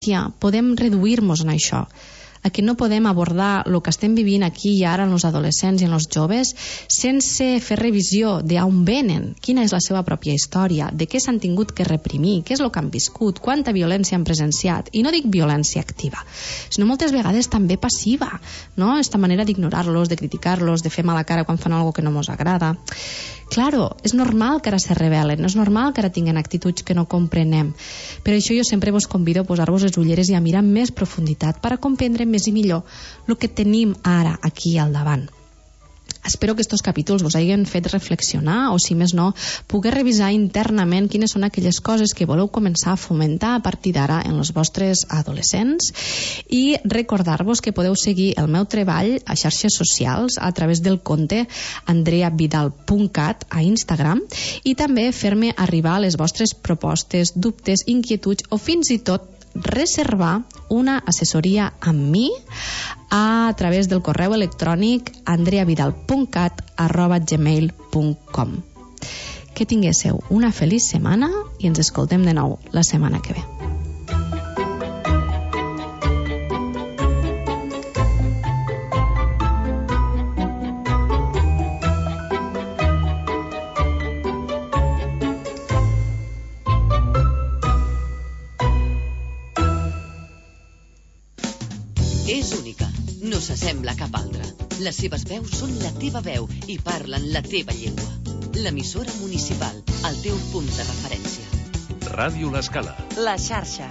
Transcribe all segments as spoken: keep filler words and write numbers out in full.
violència podem reduir-nos en això, a que no podem abordar el que estem vivint aquí i ara en els adolescents i en els joves sense fer revisió d'on venen, quina és la seva pròpia història, de què s'han tingut que reprimir, què és el que han viscut, quanta violència han presenciat. I no dic violència activa, sinó moltes vegades també passiva, no? Esta manera d'ignorar-los, de criticar-los, de fer mala cara quan fan alguna que no ens agrada. Claro, és normal que ara se rebel·len, és normal que ara tinguin actituds que no comprenem. Per això jo sempre vos convido a posar-vos les ulleres i a mirar amb més profunditat per a comprendre més i millor el que tenim ara aquí al davant. Espero que estos capítols vos hagin fet reflexionar o, si més no, poder revisar internament quines són aquelles coses que voleu començar a fomentar a partir d'ara en els vostres adolescents i recordar-vos que podeu seguir el meu treball a xarxes socials a través del compte andrea vidal punt cat a Instagram i també fer-me arribar les vostres propostes, dubtes, inquietuds o fins i tot reservar una assessoria amb mi a través del correu electrònic andrea vidal punt cat arroba gmail punt com. Que tinguéssiu una feliç setmana i ens escoltem de nou la setmana que ve. És única, no s'assembla a cap altra. Les seves veus són la teva veu i parlen la teva llengua. L'emissora municipal, el teu punt de referència. Ràdio L'Escala. La xarxa.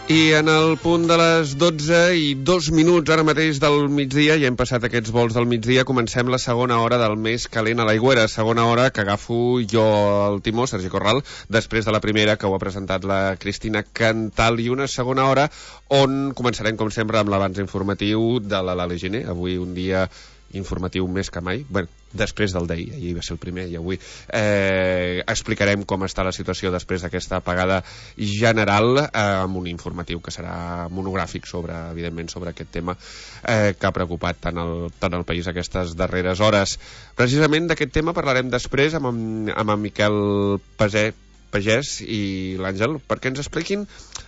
I en el punt de les dotze i dos minuts ara mateix del migdia, ja hem passat aquests vols del migdia, comencem la segona hora del més calent a l'Aigüera, segona hora que agafo jo el timó, Sergi Corral, després de la primera que ho ha presentat la Cristina Cantal, i una segona hora on començarem com sempre amb l'abans informatiu de la Lali Giner, avui un dia informatiu més que mai, bueno, després del d'ahir, ahir va ser el primer i avui eh, explicarem com està la situació després d'aquesta apagada general eh, amb un informatiu que serà monogràfic sobre, evidentment, sobre aquest tema eh, que ha preocupat tant el, tant el país aquestes darreres hores. Precisament d'aquest tema parlarem després amb, amb en Miquel Pasé, Pagès i l'Àngel, perquè ens expliquin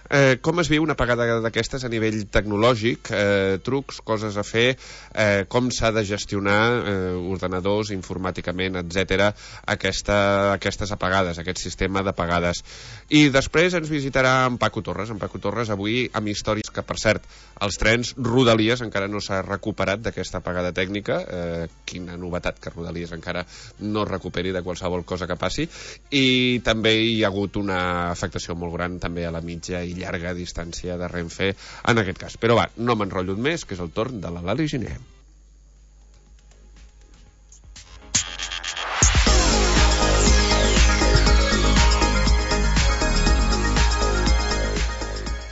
eh, com es viu una apagada d'aquestes a nivell tecnològic, eh, trucs, coses a fer, eh, com s'ha de gestionar eh, ordenadors, informàticament, etcètera, aquesta, aquestes apagades, aquest sistema d'apagades. I després ens visitarà en Paco Torres, en Paco Torres avui amb històries que, per cert, els trens Rodalies encara no s'ha recuperat d'aquesta apagada tècnica, eh, quina novetat que Rodalies encara no es recuperi de qualsevol cosa que passi, i també hi ha hagut una afectació molt gran també a la mitja i llarga distància de Renfe en aquest cas. Però va, no m'enrotllo més, que és el torn de la Lali Giner.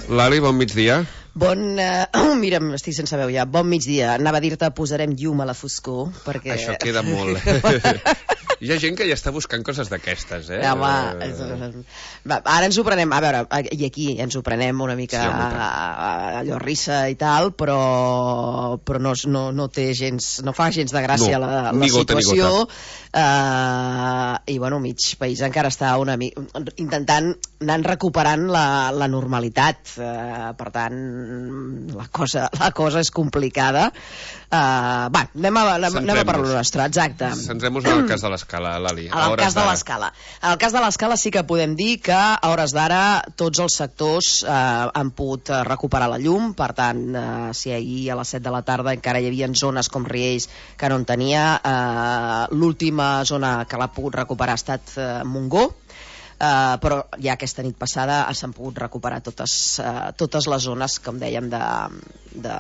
Lali, bon migdia. Bon... Uh, mira, estic sense veu ja. Bon migdia. Anava a dir-te posarem llum a la foscor, perquè... Això queda molt. Hi ha gent que ja està buscant coses d'aquestes, eh? Home, va, ara ens ho prenem, a veure, i aquí ens ho prenem una mica sí, allò risa i tal, però, però no, no, no té gens, no fa gens de gràcia no, la, la ni gota, situació. Ni gota. Uh, I bueno, mig país encara està una mica intentant anar recuperant la, la normalitat, uh, per tant la cosa, la cosa és complicada. Uh, va, anem a, anem a per lo nostre, exacte. Centrem-nos en el cas de l'Escala, Lali. En el cas de l'Escala. En el cas de l'Escala sí que podem dir que a hores d'ara tots els sectors eh, han pogut recuperar la llum, per tant, eh, si ahir a les set de la tarda encara hi havia zones com Riells que no en tenia, eh, l'última zona que l'ha pogut recuperar ha estat eh, Montgó, Uh, però ja aquesta nit passada s'han pogut recuperar totes, uh, totes les zones, com dèiem, de, de,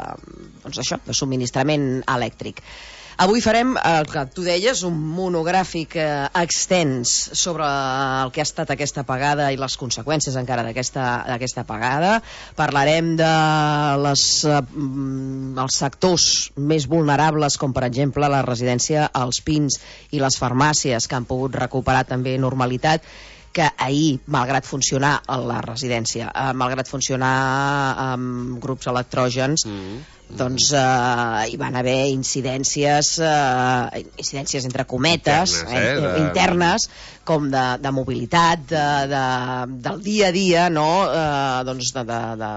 doncs això, de subministrament elèctric. Avui farem, el que tu deies, un monogràfic eh, extens sobre el que ha estat aquesta apagada i les conseqüències encara d'aquesta apagada. Parlarem de les, eh, els sectors més vulnerables, com per exemple la residència als Pins i les farmàcies, que han pogut recuperar també normalitat. que ahir, malgrat funcionar a la residència, eh, malgrat funcionar amb grups electrògens, mm. doncs eh, hi van haver incidències, eh, incidències entre cometes, internes, eh, eh, de... internes com de, de mobilitat, de, de, del dia a dia, no? eh, doncs de, de, de,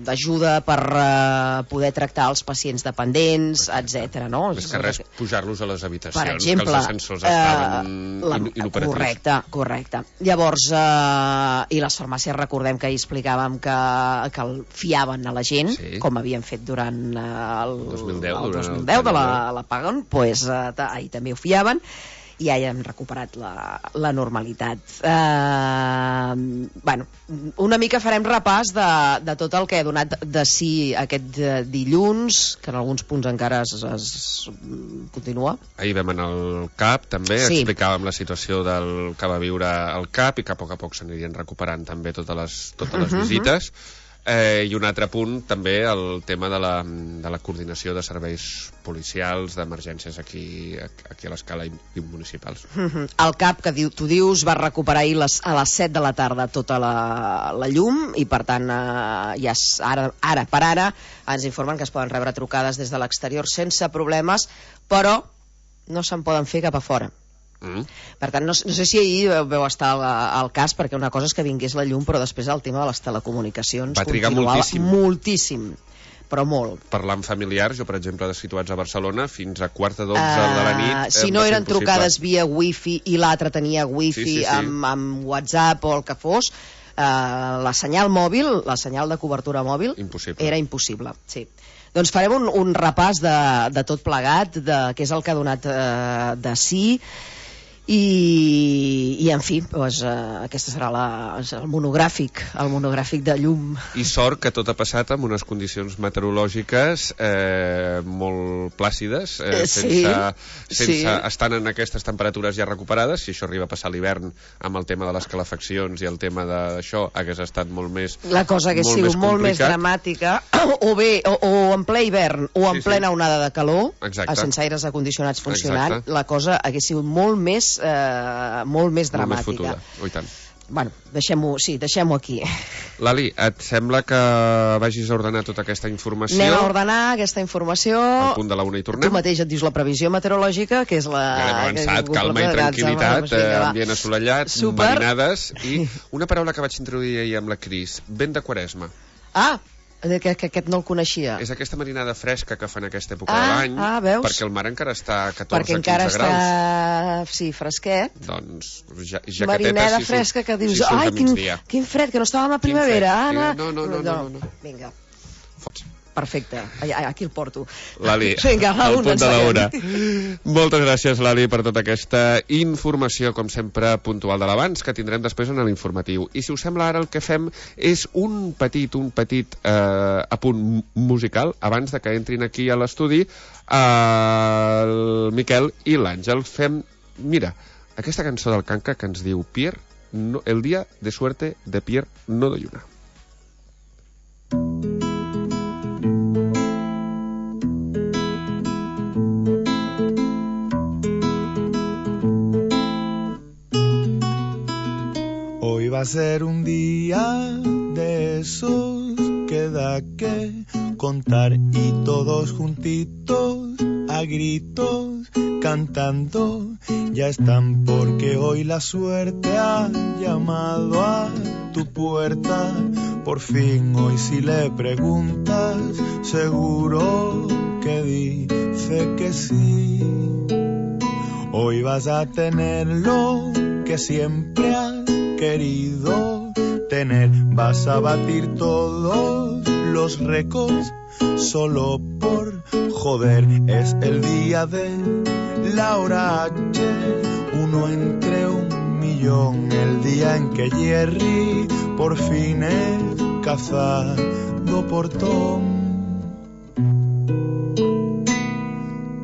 d'ajuda per uh, poder tractar els pacients dependents, etcètera. No? Més que res, pujar-los a les habitacions, per exemple, que els ascensors estaven uh, la, inoperatius. Correcte, correcte. Llavors, uh, i les farmàcies, recordem que ahir explicàvem que, que el fiaven a la gent, sí. com havien fet durant uh, el dos mil deu, el dos mil deu de la, la Pagon, pues, uh, ahir també ho fiaven, i ja hem recuperat la, la normalitat. Eh, bueno, una mica farem repàs de, de tot el que ha donat de si aquest dilluns, que en alguns punts encara es, es continua. Ahir vam anar al C A P, també, sí. explicàvem la situació del que va viure al C A P i que a poc a poc s'anirien recuperant també totes les, totes les uh-huh. visites. Eh, I un altre punt també el tema de la, de la coordinació de serveis policials, d'emergències aquí, aquí a l'escala municipals. Uh-huh. El C A P, que diu, tu dius, va recuperar ahir les, a les set de la tarda tota la, la llum i per tant eh, ja és, ara, ara per ara ens informen que es poden rebre trucades des de l'exterior sense problemes, però no se'n poden fer cap a fora. Mm. Per tant, no, no sé si ahir veu estar al, al cas, perquè una cosa és que vingués la llum, però després el tema de les telecomunicacions va trigar moltíssim. moltíssim, però molt. Parlar amb familiars, jo per exemple de situats a Barcelona, fins a quarta d'onze uh, de la nit eh, si no eren trucades via wifi i l'altre tenia wifi sí, sí, sí. Amb, amb WhatsApp o el que fos, uh, la senyal mòbil, la senyal de cobertura mòbil impossible. Era impossible, sí. Doncs farem un, un repàs de, de tot plegat, de què és el que ha donat uh, de sí. I, i en fi, doncs, uh, aquesta serà la, el monogràfic el monogràfic de llum. I sort que tot ha passat amb unes condicions meteorològiques eh, molt plàcides, eh, sí, sense, sense sí. estant en aquestes temperatures ja recuperades. Si això arriba a passar l'hivern amb el tema de les calefaccions i el tema d'això, hagués estat molt més la cosa hagués sigut més molt més dramàtica, o bé, o, o en ple hivern o en sí, plena sí. onada de calor. Exacte. Sense aires acondicionats funcionant. Exacte. La cosa hagués sigut molt més Eh, molt més dramàtica. Molt més fotuda. Oh, i tant. Bueno, deixem-ho, sí, deixem-ho aquí. Lali, et sembla que vagis a ordenar tota aquesta informació? Anem a ordenar aquesta informació. Al punt de la una i tornem. Tu mateix et dius la previsió meteorològica, que és la... Ja hem avançat, que calma i tranquil·litat, eh, ambient assolellat, super. Marinades, i una paraula que vaig introduir ahir amb la Cris, vent de Quaresma. Ah, que, que aquest no el coneixia. És aquesta marinada fresca que fan aquesta època ah, de l'any, ah, veus? perquè el mar encara està a catorze perquè encara quinze graus. Està, sí, fresquet. Doncs, ja, jaqueteta... Marinada si fresca que dius, si ai, quin, quin fred, que no estàvem a primavera. Anna. No, no, no, no, no, no. Vinga. Fots. Perfecte, aquí el porto. Lali, vinga, al punt de l'hora. Moltes gràcies, Lali, per tota aquesta informació, com sempre, puntual de l'abans, que tindrem després en l'informatiu. I si us sembla, ara el que fem és un petit, un petit eh, apunt musical, abans de que entrin aquí a l'estudi eh, el Miquel i l'Àngel. Fem, mira, aquesta cançó del Canca que ens diu Pierre, no, el dia de suerte de Pierre no doy una. Hoy va a ser un día de esos que da que contar y todos juntitos a gritos cantando ya están porque hoy la suerte ha llamado a tu puerta. Por fin hoy si le preguntas seguro que dice que sí. Hoy vas a tener lo que siempre has querido tener, vas a batir todos los récords solo por joder. Es el día de la hora H, uno entre un millón, el día en que Jerry por fin es cazado por Tom.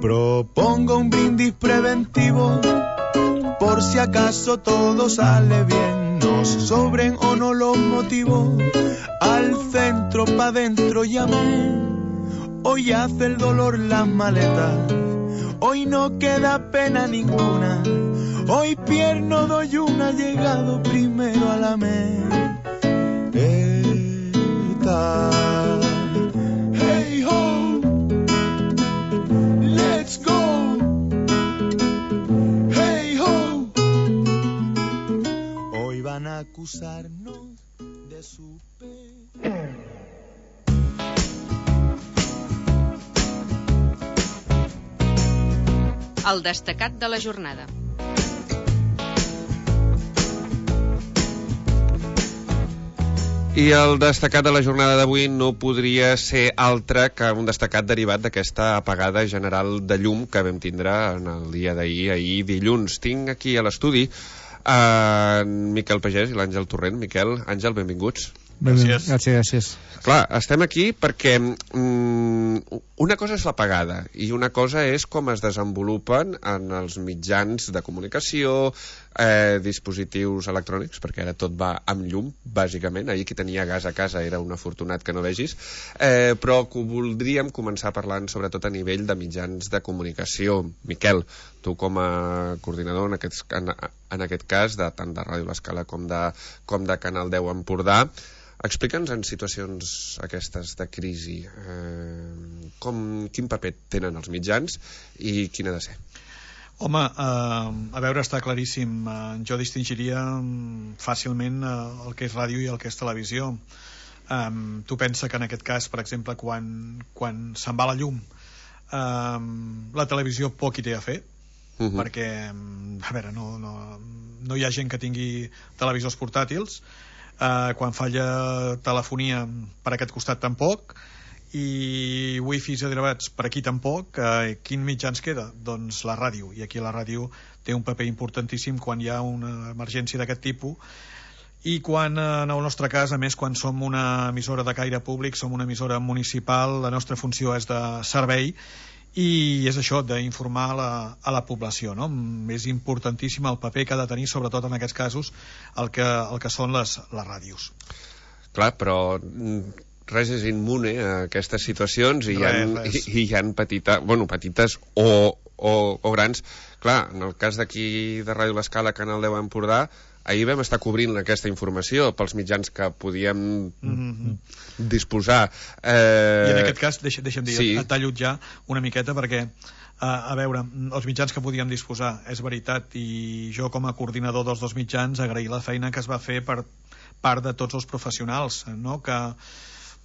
Propongo un brindis preventivo por si acaso todo sale bien. Nos sobren o no los motivos, al centro pa' dentro llamé. Hoy hace el dolor las maletas, hoy no queda pena ninguna. Hoy pierno doy un allegado primero a la meta. Hey ho, let's go. Hey ho. Hoy van a acusarnos de su pe... El destacat de la jornada. I el destacat de la jornada d'avui no podria ser altre que un destacat derivat d'aquesta apagada general de llum que vam tindre en el dia d'ahir, ahir dilluns. Tinc aquí a l'estudi en Miquel Pagès i l'Àngel Torrent. Miquel, Àngel, benvinguts. Gràcies. Gràcies, gràcies. Clar, estem aquí perquè mm, una cosa és l'apagada i una cosa és com es desenvolupen en els mitjans de comunicació, eh, dispositius electrònics, perquè ara tot va amb llum, bàsicament. Ahir qui tenia gas a casa era un afortunat que no vegis, eh, però que voldríem començar parlant sobretot a nivell de mitjans de comunicació. Miquel, tu com a coordinador en aquest, en, en aquest cas de tant de Ràdio L'Escala com de, com de Canal deu Empordà, explica'ns en situacions aquestes de crisi eh, com, quin paper tenen els mitjans i quin ha de ser. Home, eh, a veure, està claríssim. Eh, jo distingiria fàcilment eh, el que és ràdio i el que és televisió. Eh, tu pensa que en aquest cas, per exemple, quan, quan se'n va la llum, eh, la televisió poc hi té a fer, uh-huh. perquè, a veure, no, no, no hi ha gent que tingui televisors portàtils. Uh, quan falla telefonia per aquest costat tampoc, i wifis i derivats per aquí tampoc. Uh, quin mitjà ens queda? Doncs la ràdio, i aquí la ràdio té un paper importantíssim quan hi ha una emergència d'aquest tipus, i quan, en el nostre cas, a més, quan som una emissora de caire públic, som una emissora municipal, la nostra funció és de servei, i és això, d'informar a la, a la població, no? És importantíssim el paper que ha de tenir, sobretot en aquests casos, el que, el que són les, les ràdios. Clar, però res és immune a aquestes situacions i hi ha, i, i hi ha petita, bueno, petites o, o, o grans. Clar, en el cas d'aquí de Ràdio L'Escala, Canal deu Empordà, ahir vam estar cobrint aquesta informació pels mitjans que podíem mm-hmm. disposar. Eh... I en aquest cas, deixa, deixa'm dir, sí. et tallo ja una miqueta perquè, eh, a veure, els mitjans que podíem disposar, és veritat, i jo com a coordinador dels dos mitjans agrair la feina que es va fer per part de tots els professionals, no? Que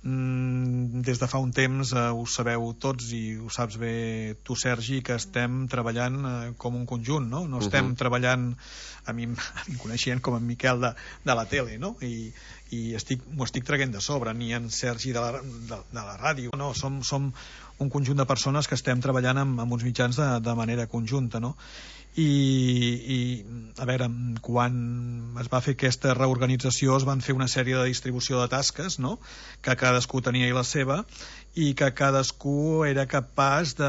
mm, des de fa un temps eh, ho sabeu tots i ho saps bé tu, Sergi, que estem treballant eh, com un conjunt, no? No estem uh-huh. treballant a mi, a mi coneixent com en Miquel de, de la tele, no? I, i estic, m'ho estic traient de sobre, ni en Sergi de la, de, de la ràdio, no? Som, som un conjunt de persones que estem treballant amb, amb uns mitjans de, de manera conjunta, no? I, i a veure, quan es va fer aquesta reorganització es van fer una sèrie de distribució de tasques, no? Que cadascú tenia la seva i que cadascú era capaç de...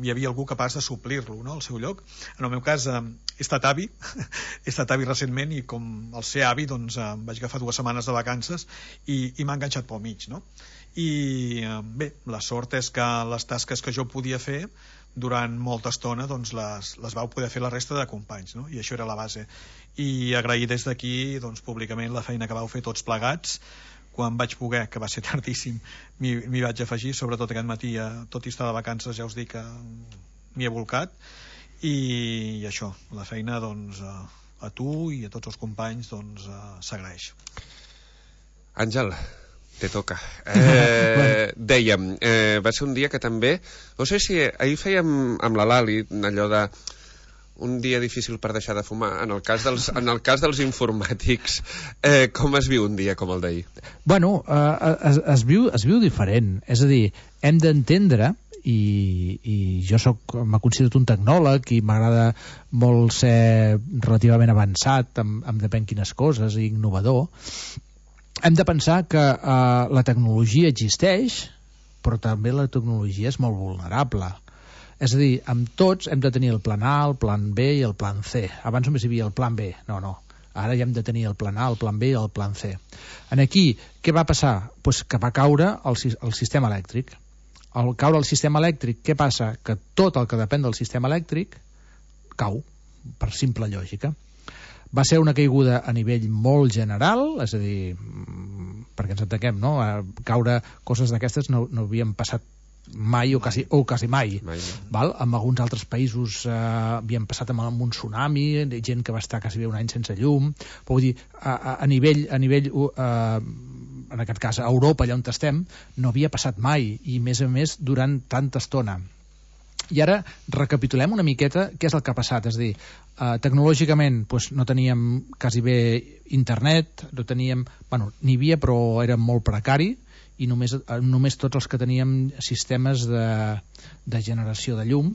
hi havia algú capaç de suplir-lo, no? Al seu lloc. En el meu cas eh, he estat avi he estat avi recentment i com el ser avi doncs eh, vaig agafar dues setmanes de vacances i, i m'ha enganxat pel mig, no? I eh, bé, la sort és que les tasques que jo podia fer durant molta estona doncs les, les vau poder fer la resta de companys, no? I això era la base. I agrair des d'aquí doncs, públicament la feina que vau fer tots plegats. Quan vaig poder, que va ser tardíssim, m'hi, m'hi vaig afegir, sobretot aquest matí, eh, tot i estar de vacances, ja us dic que m'hi he volcat. I, i això, la feina doncs, a, a tu i a tots els companys doncs, s'agraeix. Àngel, te toca. Eh, dèiem, eh, va ser un dia que també, no sé si ahir fèiem amb la Lali allò de un dia difícil per deixar de fumar. En el cas dels, en el cas dels informàtics, eh, com es viu un dia com el d'ahir? Bueno, eh, es, es, viu, es viu diferent. És a dir, hem d'entendre, i, i jo soc, m'he considerat un tecnòleg i m'agrada molt ser relativament avançat amb, amb depèn quines coses i innovador. Hem de pensar que eh, la tecnologia existeix, però també la tecnologia és molt vulnerable. És a dir, amb tots hem de tenir el plan A, el plan B i el plan C. Abans només hi havia el plan B. No, no. Ara ja hem de tenir el plan A, el plan B i el plan C. En aquí, què va passar? Pues que va caure el, el sistema elèctric. Al caure el sistema elèctric, què passa? Que tot el que depèn del sistema elèctric cau. per simple lògica. Va ser una caiguda a nivell molt general, és a dir, perquè ens entenguem, no? Caure coses d'aquestes no, no havien passat mai o quasi, o quasi mai, mai no. Val? En alguns altres països eh, havien passat amb, amb un tsunami, gent que va estar quasi bé un any sense llum, però vull dir, a, a, a nivell, a nivell eh, en aquest cas a Europa, allà on estem, no havia passat mai, i més a més durant tanta estona. I ara recapitulem una miqueta què és el que ha passat, és a dir, eh, tecnològicament doncs, no teníem quasi bé internet, no teníem, bueno, n'hi havia però era molt precari, i només, només tots els que teníem sistemes de, de generació de llum,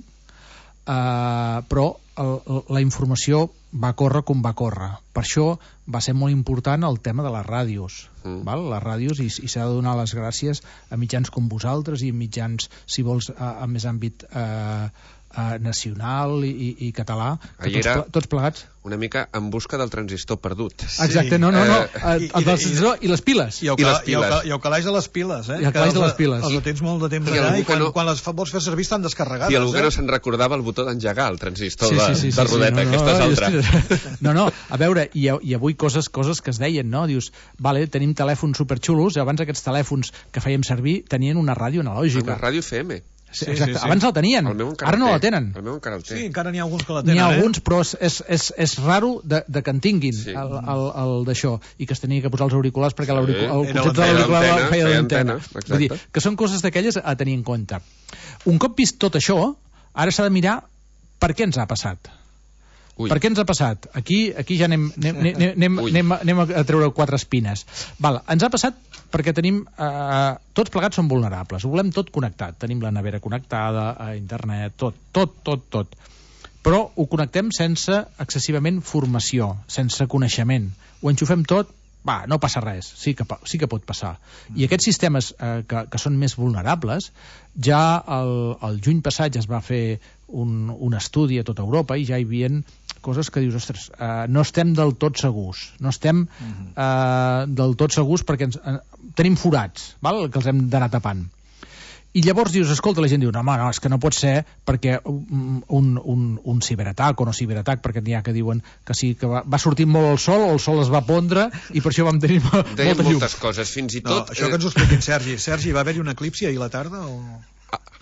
eh, però el, la informació va córrer com va córrer. Per això va ser molt important el tema de les ràdios, mm. val? Les ràdios, i, i s'ha de donar les gràcies a mitjans com vosaltres i mitjans, si vols, a, a més àmbit eh, eh, nacional i, i, i català, que tots, ple, tots plegats una mica en busca del transistor perdut. Exacte, no, no, no. Eh, el transistor i les piles. I el, I les piles. I el calaix de les piles, eh? I el calaix de les piles. Els tens molt de temps allà i quan, no, quan les vols fer servir estan descarregades. I algú que eh? no se'n recordava el botó d'engegar, el transistor sí, sí, sí, de, sí, de rodeta, sí, no, aquesta és no, altra. No, no, a veure, i, i avui coses, coses que es deien, no? Dius, vale, tenim telèfons superxulos, i abans aquests telèfons que fèiem servir tenien una ràdio analògica. Una ràdio F M. Sí, exacte. Sí, sí. Abans la tenien, ara no la tenen. El meu encara el té. Sí, encara n'hi ha alguns que la tenen. N'hi ha alguns, eh? però és, és, és, és raro de, de que en tinguin sí. el, el, el d'això, i que es tenia que posar els auriculars perquè sí. el concepte de l'auricular feia d'antena. Vull dir, que són coses d'aquelles a tenir en compte. Un cop vist tot això, ara s'ha de mirar per què ens ha passat. Ui. Per què ens ha passat? Aquí, aquí ja anem, anem, anem, anem, anem, anem a treure quatre espines. Val, ens ha passat perquè tenim eh, tots plegats som vulnerables, ho volem tot connectat, tenim la nevera connectada a internet, tot, tot, tot, tot, però ho connectem sense excessivament formació, sense coneixement, ho enxufem tot, va, no passa res, sí que, sí que pot passar. I aquests sistemes eh, que, que són més vulnerables, ja el, el juny passat ja es va fer un, un estudi a tota Europa i ja hi havia coses que dius, ostres, eh, no estem del tot segurs, no estem eh, del tot segurs perquè ens, eh, tenim forats, val? Que els hem d'anar tapant. I llavors dius, escolta, la gent diu, no, home, no, és que no pot ser perquè un, un, un ciberatac o no ciberatac, perquè n'hi ha que diuen que sí, que va, va sortir molt el sol o el sol es va pondre i per això vam tenir molta llum. Moltes coses, fins i tot... No, això que ens ho expliquin, Sergi. Sergi, va haver-hi un eclipsi ahir a la tarda o...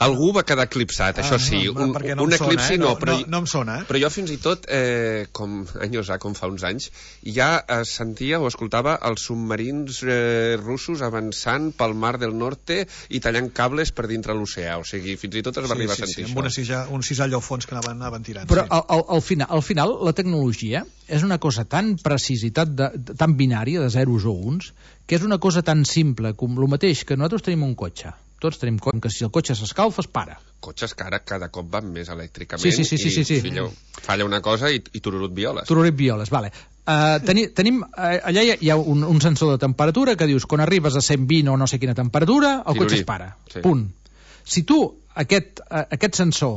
Algú va quedar eclipsat, ah, això sí, no, un, no un eclipsi sona, eh? no, no, però, no, no em sona, eh? però jo fins i tot, eh, com anys ha, com fa uns anys, ja eh, sentia o escoltava els submarins eh, russos avançant pel mar del Norte i tallant cables per dintre l'oceà, o sigui, fins i tot es va sí, arribar sí, a sentir sí, això. Amb una cisa, un cisall al fons que anaven, anaven tirant. Però sí. al, al, al, final, al final la tecnologia és una cosa tan precisa, de, de, tan binària, de zeros o uns, que és una cosa tan simple com el mateix que nosaltres tenim un cotxe. Tots tenim com que si el cotxe s'escalfa es para. Cotxes que ara cada cop van més elèctricament sí, sí, sí, sí, sí, sí. i fillo, falla una cosa i, i tururut violes. Tururut violes, vale. Uh, teni, tenim, uh, allà hi ha un, un sensor de temperatura que dius quan arribes a cent vint o no sé quina temperatura el Tirorí. Cotxe es para, sí. Punt. Si tu aquest, uh, aquest sensor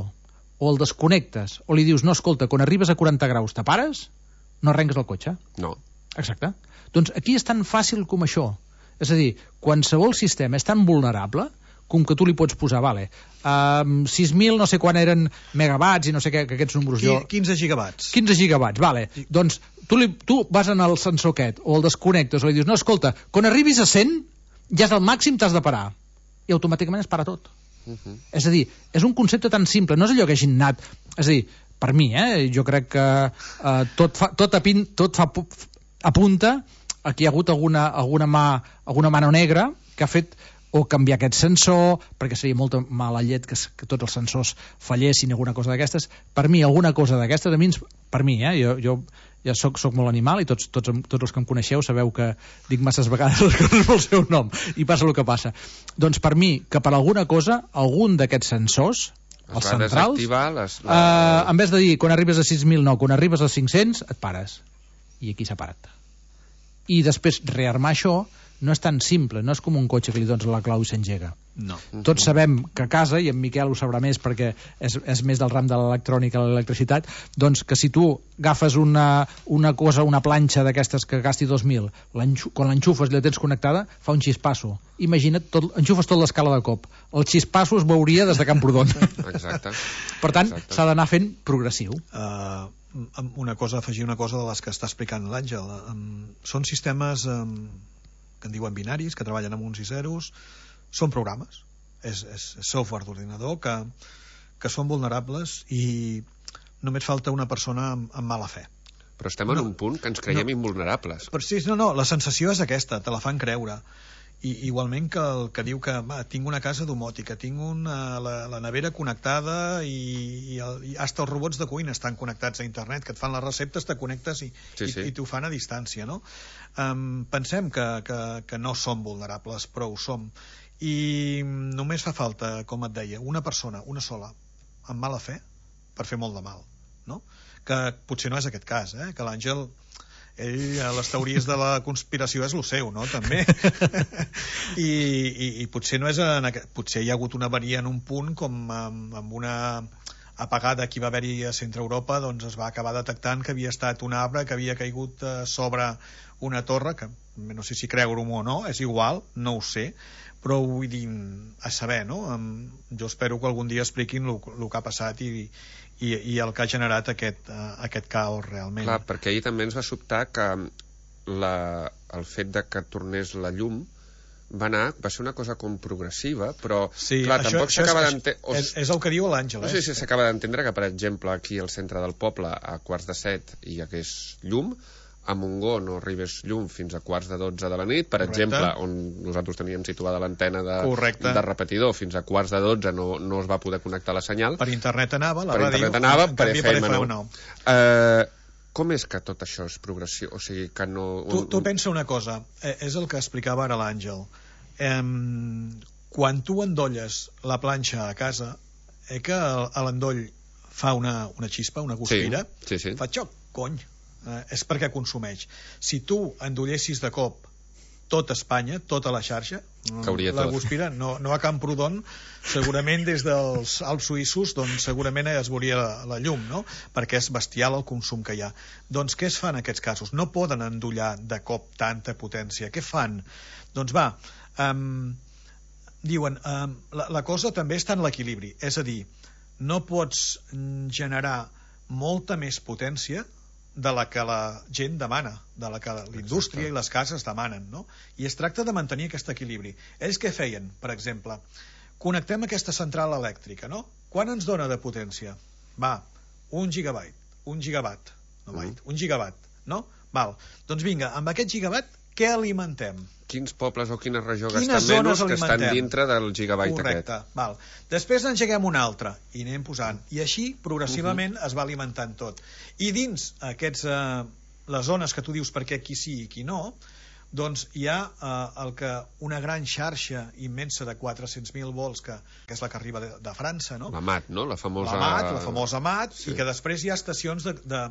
o el desconnectes o li dius no, escolta, quan arribes a quaranta graus te pares, no arrenques el cotxe. No. Exacte. Doncs aquí és tan fàcil com això. És a dir, qualsevol sistema és tan vulnerable com que tu li pots posar, vale, um, sis mil no sé quan eren megawatts i no sé què, que aquests números jo... quinze gigawatts. quinze gigawatts, vale. Sí. Doncs tu, li, tu vas en el sensor aquest, o el desconnectes, o li dius, no, escolta, quan arribis a cent, ja és el màxim, t'has de parar. I automàticament es para tot. Uh -huh. És a dir, és un concepte tan simple, no és allò que hagin anat... És a dir, per mi, eh, jo crec que eh, tot, fa, tot, apin, tot fa, apunta a que hi ha hagut alguna, alguna, mà, alguna mano negra que ha fet o canviar aquest sensor, perquè seria molta mala llet que, que tots els sensors fallessin, alguna cosa d'aquestes. Per mi, alguna cosa d'aquestes, a mi, per mi, eh, jo, jo ja soc, soc molt animal i tots, tots, tots els que em coneixeu sabeu que dic masses vegades les coses pel seu nom i passa el que passa. Doncs per mi, que per alguna cosa, algun d'aquests sensors, els centrals, les, la... uh, en vez de dir quan arribes a sis mil no, quan arribes a cinc-cents et pares. I aquí s'ha parat. I després rearmar això no és tan simple, no és com un cotxe que li dones la clau i s'engega. No. Tots sabem que a casa, i en Miquel ho sabrà més perquè és, és més del ram de l'electrònica, l'electricitat, doncs que si tu agafes una, una cosa, una planxa d'aquestes que gasti dos mil, quan l'enxufes i la tens connectada, fa un xispasso. Imagina't, tot, enxufes tot l'escala de cop. El xispasso es veuria des de Camprodon. Exacte. Per tant, Exacte. s'ha d'anar fent progressiu. Uh, una cosa, afegir una cosa de les que està explicant l'Àngel. Són sistemes que en diuen binaris, que treballen amb uns i zeros, són programes, és, és software d'ordinador que, que són vulnerables i només falta una persona amb, amb mala fe. Però estem en no, un punt que ens creiem no, invulnerables. Però sí, no, no, la sensació és aquesta, te la fan creure. I igualment que el que diu que va, tinc una casa domòtica, tinc una, la, la nevera connectada i, i, el, i hasta els robots de cuina estan connectats a internet, que et fan les receptes, te connectes i, sí, sí. i, i t'ho fan a distància, no? Um, pensem que, que, que no som vulnerables, però ho som. I només fa falta, com et deia, una persona, una sola, amb mala fe, per fer molt de mal, no? Que potser no és aquest cas, eh? Que l'Àngel, ell, les teories de la conspiració és lo seu, no? També. I, i, i potser no és en aquest, potser hi ha hagut una avaria en un punt, com amb, amb una apagada que hi va haver-hi a Centre Europa, doncs es va acabar detectant que havia estat un arbre que havia caigut sobre una torre, que no sé si creure-ho o no, és igual, no ho sé, però vull dir, a saber, no? Jo espero que algun dia expliquin el que ha passat i, i, i el que ha generat aquest, uh, aquest caos realment. Clar, perquè ahir també ens va sobtar que la, el fet de que tornés la llum va anar, va ser una cosa com progressiva, però sí, clar, això, tampoc s'acaba d'entendre... És, és el que diu l'Àngel. No sé si s'acaba d'entendre que, per exemple, aquí al centre del poble, a quarts de set, hi hagués llum, a Montgó no arribés llum fins a quarts de dotze de la nit, per Correcte. exemple, on nosaltres teníem situada l'antena de, de repetidor, fins a quarts de dotze no, no es va poder connectar la senyal. Per internet anava, la per ràdio, internet anava, per F M nou. Eh, com és que tot això és progressió? O sigui, que no... Un, tu, tu pensa una cosa, eh, és el que explicava ara l'Àngel. Eh, quan tu endolles la planxa a casa, eh, que l'endoll fa una, una xispa, una guspira, sí, sí, sí. fa xoc, cony. Eh, és perquè consumeix. Si tu endollessis de cop tot Espanya, tota la xarxa, cauria la tot. guspira, no, no a Camprodon, segurament des dels Alps suïssos, doncs segurament es veuria la, la llum, no? Perquè és bestial el consum que hi ha. Doncs què es fa en aquests casos? No poden endollar de cop tanta potència. Què fan? Doncs va, um, diuen, um, la, la cosa també està en l'equilibri, és a dir, no pots generar molta més potència de la que la gent demana, de la que la indústria Exacte. i les cases demanen, no? I es tracta de mantenir aquest equilibri. Ells què feien, per exemple? Connectem aquesta central elèctrica, no? Quan ens dona de potència? Va, un gigabyte, un gigawatt, no byte, mm. un gigawatt, no? Val, doncs vinga, amb aquest gigawatt què alimentem? Quins pobles o quina regió gasten menys que estan dintre del gigabyte Correcte. aquest. Val. Després n'engeguem un altre i anem posant. I així, progressivament, uh -huh. es va alimentant tot. I dins aquests, eh, les zones que tu dius perquè aquí sí i aquí no, doncs hi ha eh, el que una gran xarxa immensa de quatre-cents mil volts, que, que és la que arriba de, de França, no? La M A T, no? La famosa... La M A T, la famosa M A T, sí. I que després hi ha estacions de... de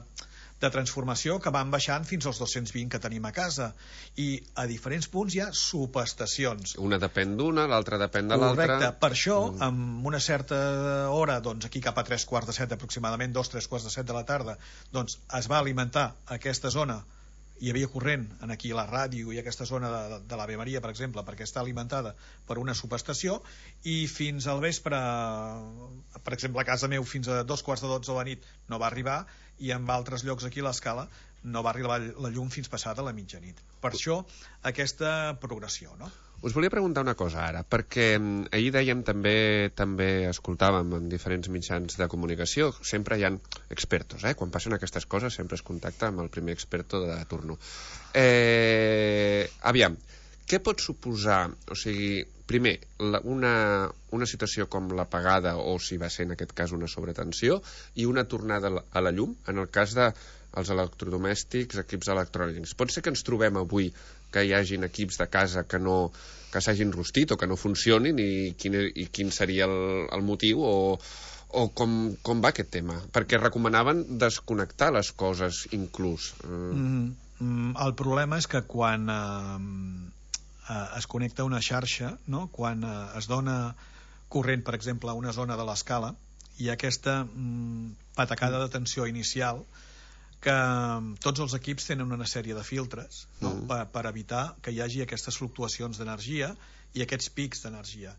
de transformació que van baixant fins als dos-cents vint que tenim a casa, i a diferents punts hi ha subestacions. Una depèn d'una, l'altra depèn de l'altra. Correcte, per això mm. amb una certa hora, doncs aquí cap a tres quarts de set aproximadament, dos, tres quarts de set de la tarda, doncs es va alimentar aquesta zona, hi havia corrent en aquí la ràdio i aquesta zona de, de l'Ave Maria, per exemple, perquè està alimentada per una subestació, i fins al vespre, per exemple a casa meu fins a dos quarts de dotze de la nit no va arribar, i en altres llocs aquí a l'escala no va arribar la llum fins passada la mitjanit. Per això aquesta progressió, no? Us volia preguntar una cosa ara, perquè ahir dèiem també, també escoltàvem en diferents mitjans de comunicació, sempre hi ha expertos, eh? Quan passen aquestes coses sempre es contacta amb el primer experto de turno. Eh, aviam, què pot suposar, o sigui, primer, la, una, una situació com l'apagada, o si va ser en aquest cas una sobretensió, i una tornada a la llum, en el cas dels electrodomèstics, equips electrònics. Pot ser que ens trobem avui que hi hagin equips de casa que no que s'hagin rostit o que no funcionin, i quin, i quin seria el, el motiu, o, o com, com va aquest tema? Perquè recomanaven desconnectar les coses inclús. Mm, mm, el problema és que quan... Eh, Uh, es connecta una xarxa, no? Quan uh, es dona corrent, per exemple, a una zona de l'escala, hi ha aquesta mm, patacada de tensió inicial que um, tots els equips tenen una sèrie de filtres, no? mm. per, per evitar que hi hagi aquestes fluctuacions d'energia i aquests pics d'energia.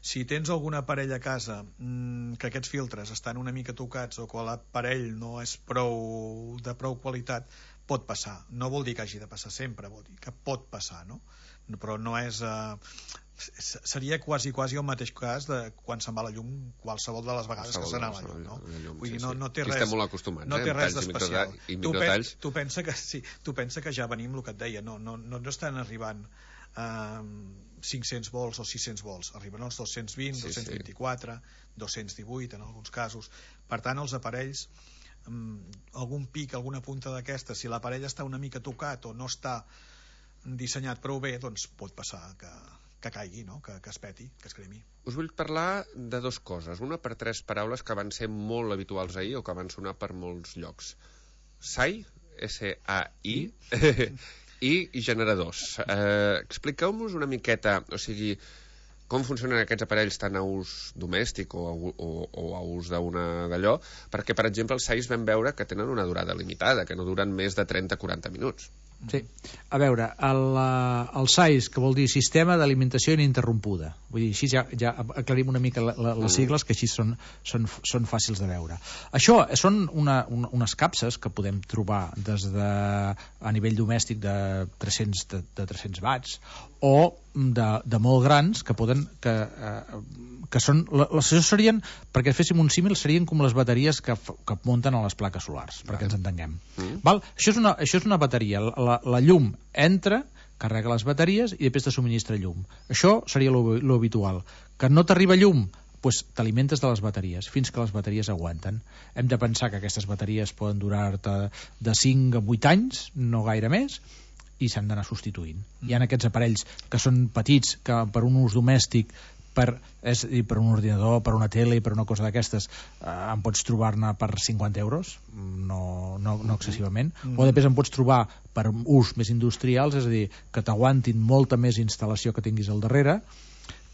si tens algun aparell a casa mmm, que aquests filtres estan una mica tocats o que l'aparell no és prou de prou qualitat, pot passar. No vol dir que hagi de passar sempre, vol dir que pot passar, no? Però no és... Eh, seria quasi quasi el mateix cas de quan se'n va la llum qualsevol de les vegades que se n'ha la llum, no? llum, Vull dir, sí, no, sí. no té Aquí res, estem molt acostumats, no té eh? res d'especial. I tu, microtalls. pen, tu, pensa que, sí, tu pensa que ja venim el que et deia, no, no, no, no estan arribant eh, cinc-cents volts o sis-cents volts, arriben els dos-cents vint, sí, dos-cents vint-i-quatre, sí. dos-cents divuit en alguns casos. Per tant, els aparells, um, algun pic, alguna punta d'aquesta, si l'aparell està una mica tocat o no està dissenyat prou bé, doncs pot passar que, que caigui, no? que, que es peti, que es cremi. Us vull parlar de dues coses. Una per tres paraules que van ser molt habituals ahir o que van sonar per molts llocs. S A I, S A I, i generadors. Eh, expliqueu-nos una miqueta, o sigui, com funcionen aquests aparells tant a ús domèstic o a, o, o a ús d'una d'allò, perquè, per exemple, els S A Is vam veure que tenen una durada limitada, que no duren més de trenta a quaranta minuts. Sí. A veure, el, el S A I S, que vol dir Sistema d'Alimentació Ininterrompuda, vull dir, així ja, ja aclarim una mica la, la, les sigles, que així són, són, són fàcils de veure. Això són una, una, unes capses que podem trobar des de, a nivell domèstic de tres-cents, de, de tres-cents watts o de, de molt grans que poden que, eh, que són, les serien, perquè féssim un símil, serien com les bateries que, que munten a les plaques solars, perquè ens entenguem. Mm. Val? Això és una, això és una bateria. La, la llum entra, carrega les bateries i després te subministra llum. Això seria lo habitual. Que no t'arriba llum, pues t'alimentes de les bateries fins que les bateries aguanten. Hem de pensar que aquestes bateries poden durar-te de cinc a vuit anys, no gaire més, i s'han d'anar substituint. Mm. Hi ha aquests aparells que són petits, que per un ús domèstic, per, és a dir, per un ordinador, per una tele, per una cosa d'aquestes, eh, en pots trobar-ne per cinquanta euros, no, no, no excessivament, mm. o després en pots trobar per ús més industrials, és a dir, que t'aguantin molta més instal·lació que tinguis al darrere,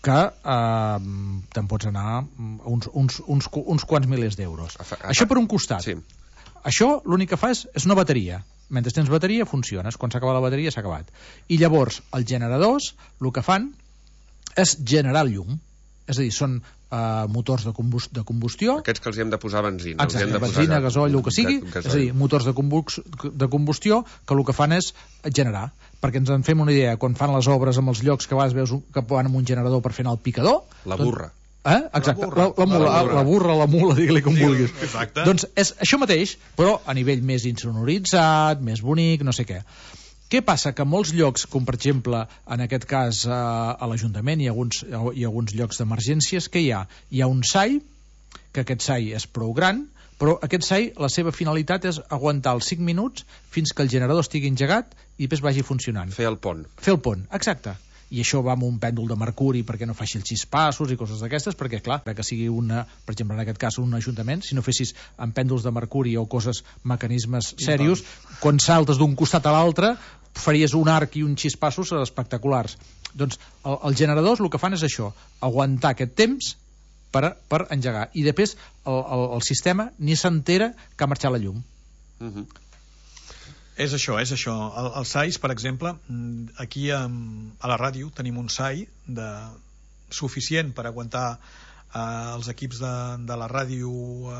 que eh, te'n pots anar uns, uns, uns, uns quants milers d'euros. Això per un costat. Sí. Això l'únic que fa és, és una bateria. Mentre tens bateria funciones, quan s'acaba la bateria s'ha acabat. I llavors els generadors el que fan és generar llum, és a dir, són uh, motors de, combust de combustió. Aquests que els hem de posar benzina. Exacte, els hem de benzina, posar gasoil, el que sigui, és a dir, motors de, de combustió que el que fan és generar, perquè ens en fem una idea, quan fan les obres amb els llocs que vas veus que van amb un generador per fer anar el picador, la burra. Doncs, eh? Exacte, la, burra, la, la, mula, la, burra. la burra, la mula, digue-li com sí, vulguis. Exacte. Doncs és això mateix, però a nivell més insonoritzat, més bonic, no sé què. Què passa? Que molts llocs, com per exemple en aquest cas eh, a l'Ajuntament i alguns, i alguns llocs d'emergències, què hi ha? Hi ha un S A I, que aquest S A I és prou gran, però aquest S A I, la seva finalitat és aguantar els cinc minuts fins que el generador estigui engegat i després vagi funcionant. Fer el pont. Fer el pont, exacte. I això va amb un pèndol de mercuri perquè no faci els xispassos i coses d'aquestes, perquè clar, que sigui una, per exemple en aquest cas un ajuntament, si no fessis amb pèndols de mercuri o coses, mecanismes serios, quan saltes d'un costat a l'altre faries un arc i uns xispassos espectaculars. Doncs el, els generadors el que fan és això, aguantar aquest temps per, per engegar, i després el, el, el sistema ni s'entera que ha marxat la llum. Mhm. És això, és això. El, el S A I S, per exemple, aquí a, a la ràdio tenim un S A I de, suficient per aguantar eh, els equips de, de la ràdio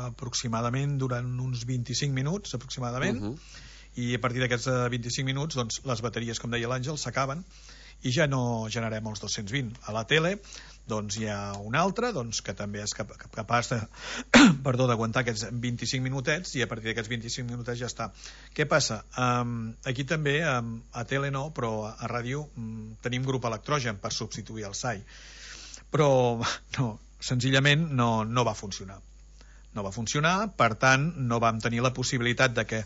aproximadament durant uns vint-i-cinc minuts aproximadament, uh -huh. i a partir d'aquests vint-i-cinc minuts doncs, les bateries, com deia l'Àngel, s'acaben i ja no generem els dos-cents vint. A la tele doncs hi ha un altre doncs, que també és cap, capaç de perdó, d'aguantar aquests vint-i-cinc minutets, i a partir d'aquests vint-i-cinc minutets ja està. Què passa? Um, aquí també, um, a tele no, però a, a ràdio um, tenim grup electrogen per substituir el S A I, però no, senzillament no, no va funcionar. No va funcionar, per tant no vam tenir la possibilitat de que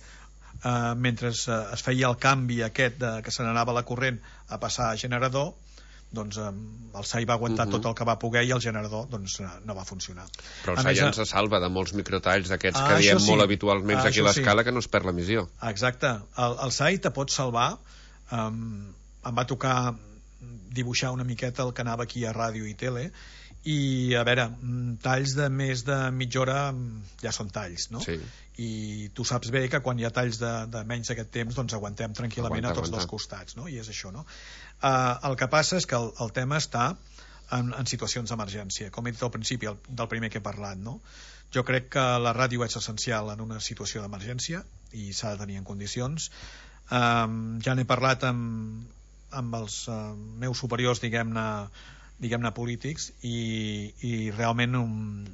Uh, mentre uh, es feia el canvi aquest de, que se n'anava la corrent a passar a generador, doncs um, el S A I va aguantar uh -huh. tot el que va poder i el generador doncs uh, no va funcionar. Però el S A I ens salva de molts microtalls d'aquests ah, que diem sí. molt habitualment ah, aquí a l'escala, sí. que no es perd l'emissió. Exacte, el, el S A I te pot salvar. um, em va tocar dibuixar una miqueta el que anava aquí a ràdio i tele, i a veure, talls de més de mitja hora ja són talls, no? Sí. I tu saps bé que quan hi ha talls de, de menys d'aquest temps doncs aguantem tranquil·lament aguanta, a tots aguanta. dos costats, no? I és això, no? Uh, el que passa és que el, el tema està en, en situacions d'emergència, com he dit al principi el, del primer que he parlat, no? Jo crec que la ràdio és essencial en una situació d'emergència i s'ha de tenir en condicions. Um, ja n'he parlat amb, amb els uh, meus superiors, diguem-ne, diguem-ne polítics, i, i realment um,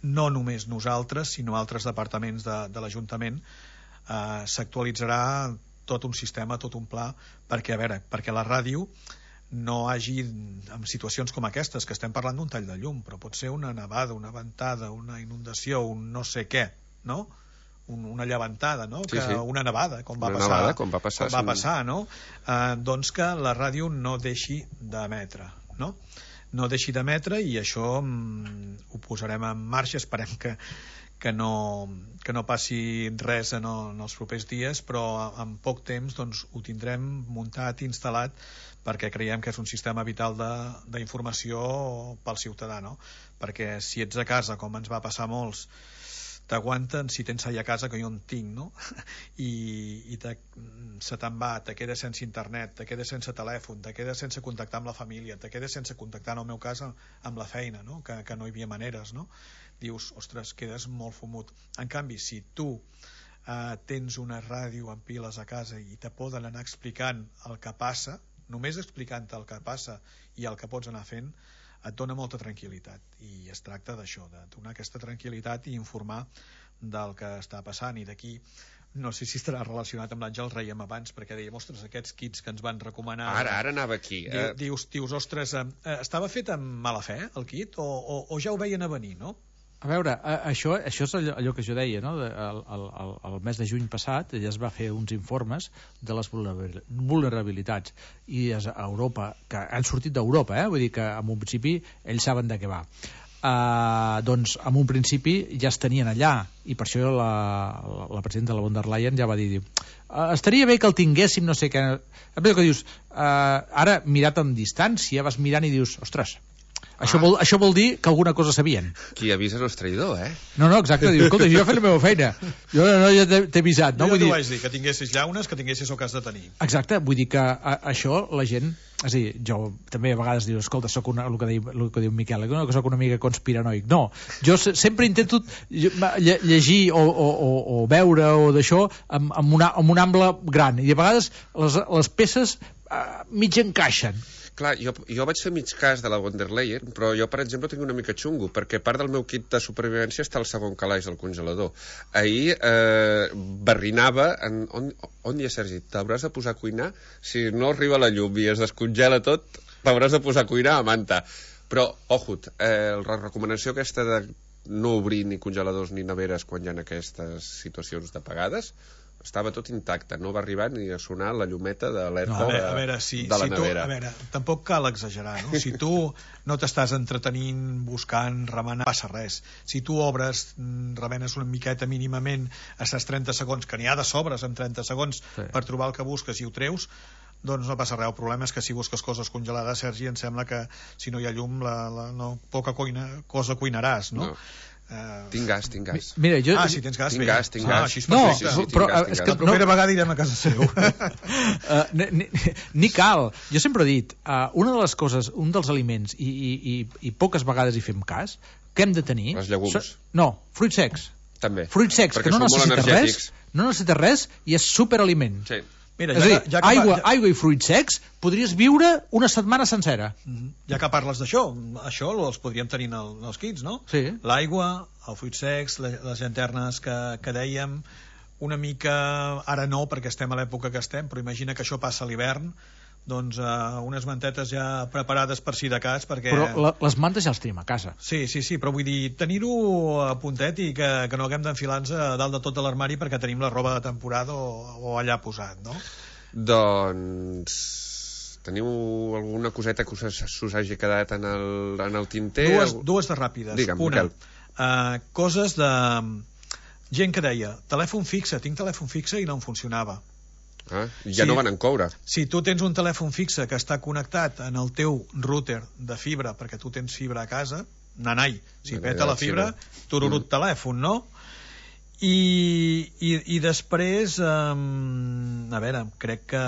no només nosaltres, sinó altres departaments de, de l'Ajuntament, uh, s'actualitzarà tot un sistema, tot un pla, perquè, a veure, perquè la ràdio no hagi, en situacions com aquestes, que estem parlant d'un tall de llum, però pot ser una nevada, una ventada, una inundació, un no sé què, no? Un, una llevantada, no? Sí, que, sí. Una nevada, com va una passar, nevada, com va passar, com va passar no? Eh, doncs que la ràdio no deixi d'emetre, no? No deixi d'emetre, i això mm, ho posarem en marxa, esperem que que no, que no passi res en, el, en els propers dies, però en poc temps doncs, ho tindrem muntat, instal·lat, perquè creiem que és un sistema vital d'informació pel ciutadà, no? Perquè si ets a casa, com ens va passar a molts, t'aguanten, si tens allà a casa, que jo en tinc, no? I, i te, se te'n va, te quedes sense internet, te quedes sense telèfon, te quedes sense contactar amb la família, te quedes sense contactar, en el meu cas, amb la feina, no? Que, que no hi havia maneres, no? Dius, ostres, quedes molt fumut. En canvi, si tu eh, tens una ràdio amb piles a casa i te poden anar explicant el que passa, només explicant-te el que passa i el que pots anar fent, et dona molta tranquil·litat, i es tracta d'això, de donar aquesta tranquil·litat i informar del que està passant. I d'aquí, no sé si estarà relacionat amb l'Àngel Reiem abans, perquè dèiem, ostres, aquests kits que ens van recomanar... Ara, ara anava aquí. Eh... Dius, dius, ostres, eh, estava fet amb mala fe, el kit, o, o, o ja ho veien a venir, no? A veure, això, això és allò, allò que jo deia, no? El, el, el, el mes de juny passat ja es va fer uns informes de les vulnerabilitats, i és a Europa, que han sortit d'Europa, eh? Vull dir que en un principi ells saben de què va. Uh, doncs en un principi ja es tenien allà, i per això la, la, la presidenta de la von der Leyen ja va dir, diu, uh, estaria bé que el tinguéssim, no sé què. Que dius, uh, ara mirat amb distància vas mirant i dius, ostres, Això, ah. vol, això vol dir que alguna cosa sabien. Qui avisa no és traïdor, eh? No, no, exacte. Diu, escolta, jo he fet la meva feina. Jo no, ja t'he avisat. No? Jo Vull ja t'ho dir... vaig dir, que tinguessis llaunes, que tinguessis el que has de tenir. Exacte, vull dir que a, això la gent... És a dir, jo també a vegades diu, escolta, soc una, el, que diu, el que diu Miquel, no, que soc una mica conspiranoic. No, jo se, sempre intento llegir o, o, o, o veure o d'això amb, amb, una, amb un ample gran, i a vegades les, les peces uh, mig encaixen. Clar, jo, jo vaig fer mig cas de la von der Leyen, però jo, per exemple, tinc una mica xungo, perquè part del meu kit de supervivència està al segon calaix del congelador. Ahir eh, barrinava... En, on, on hi ha, Sergi? T'hauràs de posar a cuinar? Si no arriba la llum i es descongela tot, t'hauràs de posar a cuinar a manta. Però, ojut, eh, la recomanació aquesta de no obrir ni congeladors ni neveres quan hi ha aquestes situacions d'apagades... estava tot intacte, no va arribar ni a sonar la llumeta d'alerta no, de, a veure, si, de la si tu, nevera. A veure, tampoc cal exagerar, no? Si tu no t'estàs entretenint, buscant, remenant, passa res. Si tu obres, remenes una miqueta mínimament, estàs trenta segons, que n'hi ha de sobres en trenta segons sí. per trobar el que busques i ho treus, doncs no passa res. El problema és que si busques coses congelades, Sergi, em sembla que si no hi ha llum, la, la, no, poca cuina, cosa cuinaràs, no? no. Uh... Tinc gas, tinc gas. Mira, jo... Ah, si tens gas, tinc bé. gas, tinc ah, gas. Així és no, perfecte. sí, sí, però gas, és que la propera no... vegada irem a casa seu. uh, ni, ni, ni cal. Jo sempre he dit, uh, una de les coses, un dels aliments, i, i, i, i poques vegades hi fem cas, que hem de tenir... Els llegums. So, no, fruits secs. També. Fruits secs, perquè que no necessita res, no necessita res i és superaliment. Sí. Mira, és ja, a dir, ja que, aigua, ja... aigua i fruits secs podries viure una setmana sencera. Mm-hmm. Ja que parles d'això, això els podríem tenir en, el, en els kits, no? Sí. L'aigua, els fruits secs, les llanternes que, que dèiem, una mica, ara no perquè estem a l'època que estem, però imagina que això passa a l'hivern, doncs uh, unes mantetes ja preparades per si de cas, perquè... Però la, les mantes ja les tenim a casa. Sí, sí, sí, però vull dir, tenir-ho a puntet i que, que no haguem d'enfilar-nos a dalt de tot de l'armari perquè tenim la roba de temporada o, o allà posat, no? Doncs... Teniu alguna coseta que us, us hagi quedat en el, en el tinter? Dues, dues de ràpides. Digue'm, una, Miquel. Uh, coses de... Gent que deia, telèfon fixe, tinc telèfon fixe i no em funcionava. Ah, ja sí, no van en coure. Si tu tens un telèfon fixe que està connectat en el teu router de fibra, perquè tu tens fibra a casa, nanai, si nanai, peta la fibra, tururut mm. telèfon, no? I, i, i després, um, a veure, crec que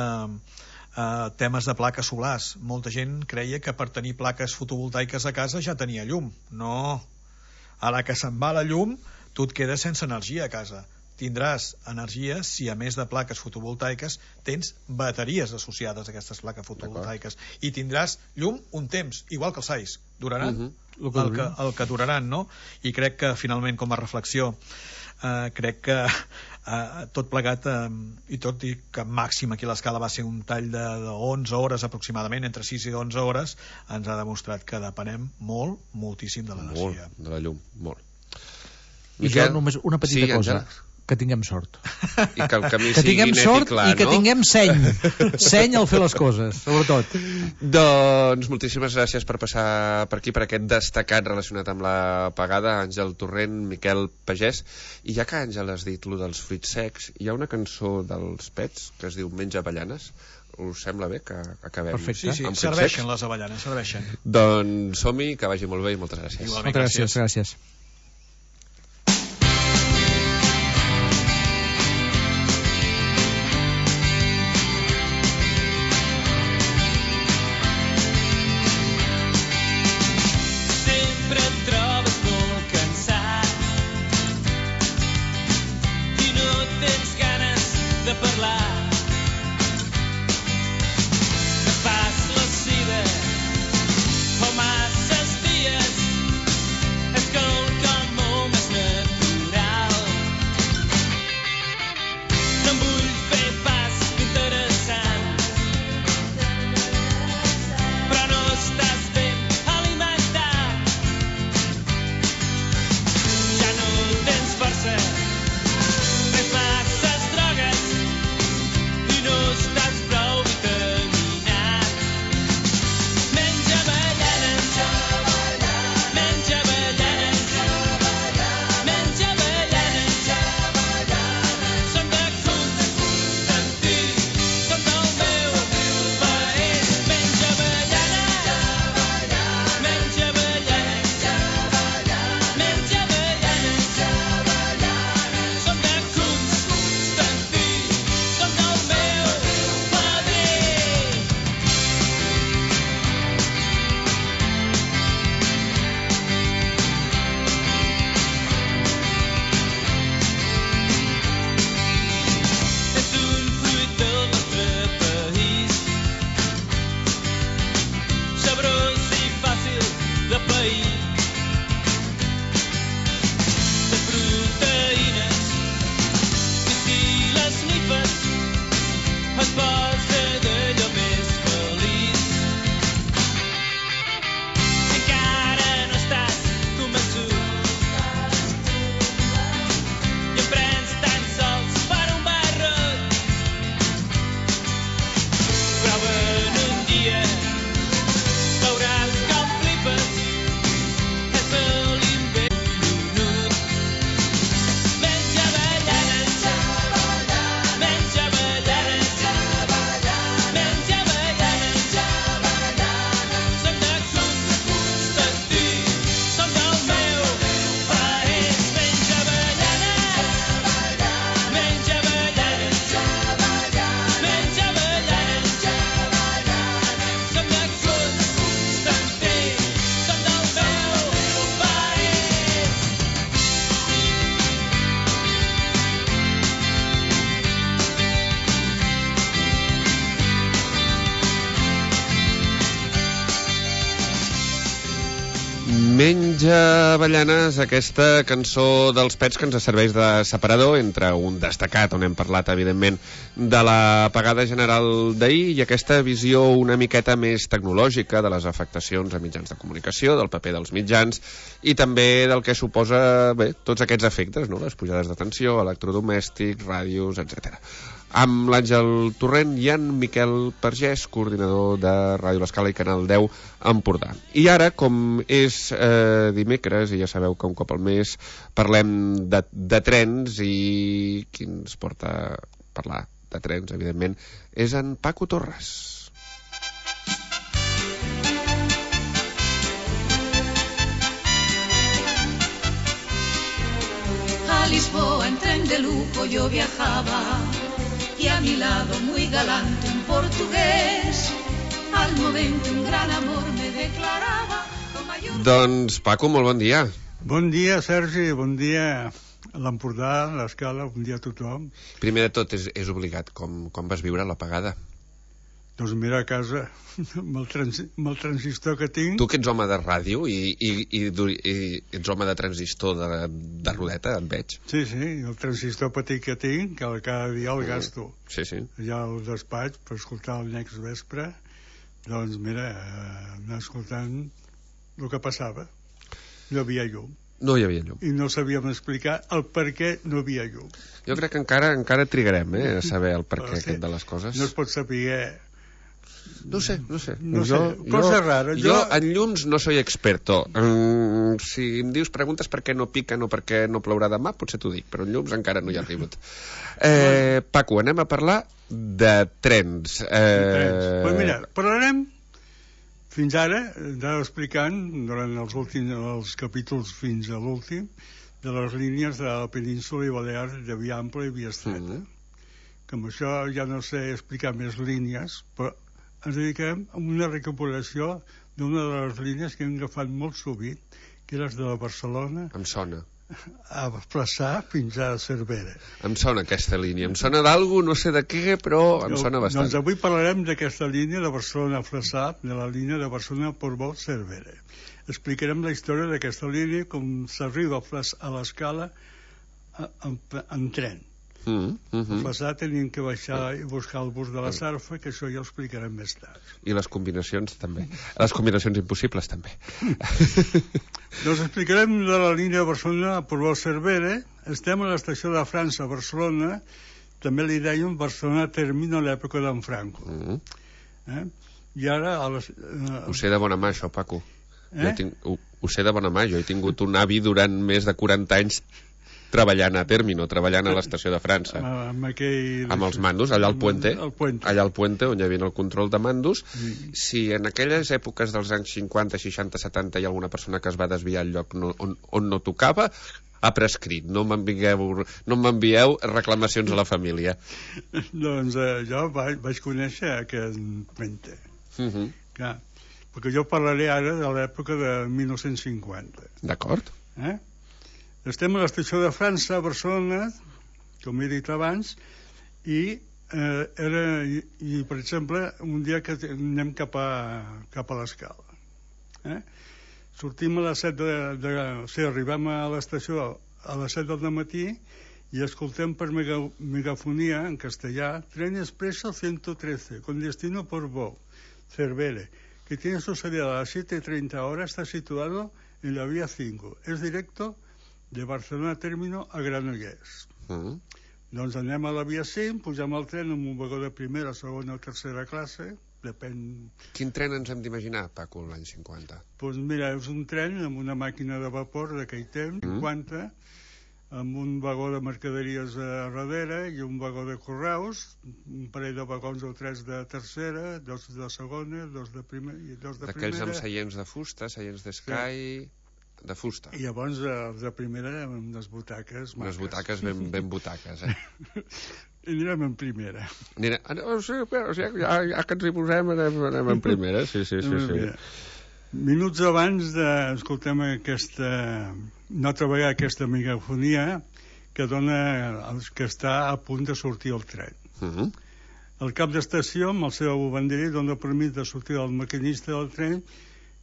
Uh, temes de plaques solars. Molta gent creia que per tenir plaques fotovoltaiques a casa ja tenia llum. No. Ara que se'n va la llum, tu et quedes sense energia a casa. Tindràs energia si a més de plaques fotovoltaiques tens bateries associades a aquestes plaques fotovoltaiques. I tindràs llum un temps, igual que els ais. Duraran uh -huh. el, que, el que duraran, no? I crec que finalment, com a reflexió, Uh, crec que uh, tot plegat uh, i tot i que màxim aquí a l'escala va ser un tall de, de onze hores aproximadament, entre sis i onze hores, ens ha demostrat que depenem molt, moltíssim de l'energia. Molt, de la llum, molt. I Miquel? Jo només una petita sí, cosa, Àngela. Que tinguem sort. I que el camí que sigui net i clar, i que no? tinguem seny. Seny al fer les coses, sobretot. Doncs moltíssimes gràcies per passar per aquí, per aquest destacat relacionat amb la pagada, Àngel Torrent, Miquel Pagès. I ja que Àngel has dit lo dels fruits secs, hi ha una cançó dels Pets que es diu Menja avellanes. Us sembla bé que acabem? Perfecte. Sí, sí, serveixen les avellanes, serveixen. Doncs som-hi, que vagi molt bé i moltes gràcies. Igualment, moltes gràcies, gràcies. Menja avellanes, aquesta cançó dels Pets que ens serveix de separador entre un destacat on hem parlat evidentment de la pagada general d'ahir i aquesta visió una miqueta més tecnològica de les afectacions a mitjans de comunicació, del paper dels mitjans i també del que suposa bé, tots aquests efectes, no? Les pujades de tensió, electrodomèstics, ràdios, etcètera. Amb l'Àngel Torrent i en Miquel Pagès, coordinador de Ràdio L'Escala i Canal deu Empordà. I ara, com és eh, dimecres, i ja sabeu que un cop al mes parlem de, de trens, i qui ens porta a parlar de trens, evidentment, és en Paco Torres. A Lisboa en tren de lujo yo viajaba y a mi lado muy galante un portugués. Al momento un gran amor me declaraba con mayor... Doncs, Paco, molt bon dia. Bon dia, Sergi, bon dia a l'Empordà, a l'Escala, bon dia a tothom. Primer de tot, és, és obligat. Com, com vas viure l'apagada? Doncs mira, a casa, amb el, trans, amb el transistor que tinc... Tu que ets home de ràdio i, i, i, i ets home de transistor de, de rodeta, et veig. Sí, sí, el transistor petit que tinc, que cada dia el gasto. Sí, sí. Allà al despatx, per escoltar el next vespre, doncs mira, anar escoltant el que passava. No havia llum. No hi havia llum. I no sabíem explicar el per què no havia llum. Jo crec que encara encara trigarem eh, a saber el per què sí, aquest de les coses. No es pot saber... No sé, no sé. No jo, sé, cosa jo, rara. Jo, jo en llums no soy experto. Mm, si em dius, preguntes per què no piquen o per què no plourà demà, potser t'ho dic, però en llums encara no hi ha arribat. Eh, Paco, anem a parlar de trens. Eh... trens. Pues mira, parlarem fins ara, anava explicant durant els últims els capítols fins a l'últim, de les línies de la península i Balears de via ampla i via estreta. Mm -hmm. Que amb això ja no sé explicar més línies, però ens dediquem a una recuperació d'una de les línies que hem agafat molt sovint, que és de la Barcelona... Em sona. A Flaçà fins a Cervera. Em sona aquesta línia. Em sona d'algú, no sé de què, però em sona bastant. Doncs avui parlarem d'aquesta línia de Barcelona a Flaçà, de la línia de Barcelona Portbou Cervera. Explicarem la història d'aquesta línia, com s'arriba a l'Escala en, en tren. Mm, mm -hmm. A Flaçà tenien que baixar i buscar el bus de la Sarfa, que això ja ho explicarem més tard. I les combinacions també. Les combinacions impossibles també. Doncs explicarem de la línia de Barcelona a Portbou Cervera. Estem a l'estació de França, Barcelona. També li deien Barcelona Termino a l'època d'en Franco. Mm -hmm. eh? I ara... A les, eh... Ho sé de bona mà, això, Paco. Eh? Jo tinc, ho, ho sé de bona mà. Jo he tingut un avi durant més de quaranta anys treballant a Termino, treballant a l'estació de França. Amb, aquell... amb els mandos, allà al Puente, el puente. allà al Puente, on hi havia el control de mandos. Sí. Si en aquelles èpoques dels anys cinquanta, seixanta, setanta hi ha alguna persona que es va desviar al lloc no, on, on no tocava, ha prescrit. No m'envieu no m'envieu reclamacions a la família. Doncs eh, jo vaig, vaig conèixer aquest Puente. Uh -huh. Clar, perquè jo parlaré ara de l'època de mil nou-cents cinquanta. D'acord. Eh? Estem a l'estació de França, a Barcelona, com he dit abans, i, eh, era, i, i per exemple, un dia que anem cap a, cap a l'Escala. Eh? Sortim a les set de... de o sigui, arribem a l'estació a les set del matí i escoltem per mega, megafonia, en castellà, Tren Expreso ciento trece, con destino Portbou, Cervera, que tiene su salida a las siete y treinta horas, está situado en la vía cinco. Es directo de Barcelona Término a Granollers. Uh -huh. Doncs anem a la via cinc, pugem al tren amb un vagó de primera, segona o tercera classe, depèn... Quin tren ens hem d'imaginar, Paco, l'any cinquanta? Doncs pues mira, és un tren amb una màquina de vapor d'aquell temps, uh -huh. cinquanta, amb un vagó de mercaderies a darrere i un vagó de correus, un parell de vagons o tres de tercera, dos de segona, dos de primera i dos de primera. D'aquells amb seients de fusta, seients d'escai... Sí. De fusta. I llavors els de primera amb les butaques unes butaques ben, ben butaques eh? I anirem en primera. Anirem, oh, sí, però, ja, ja que ens hi posem anem, anem en primera, sí, sí, sí, sí. Minuts abans de, escoltem aquesta una altra vegada aquesta megafonia que dona que està a punt de sortir el tren. Uh -huh. El cap d'estació amb el seu banderí dona permís de sortir al maquinista del tren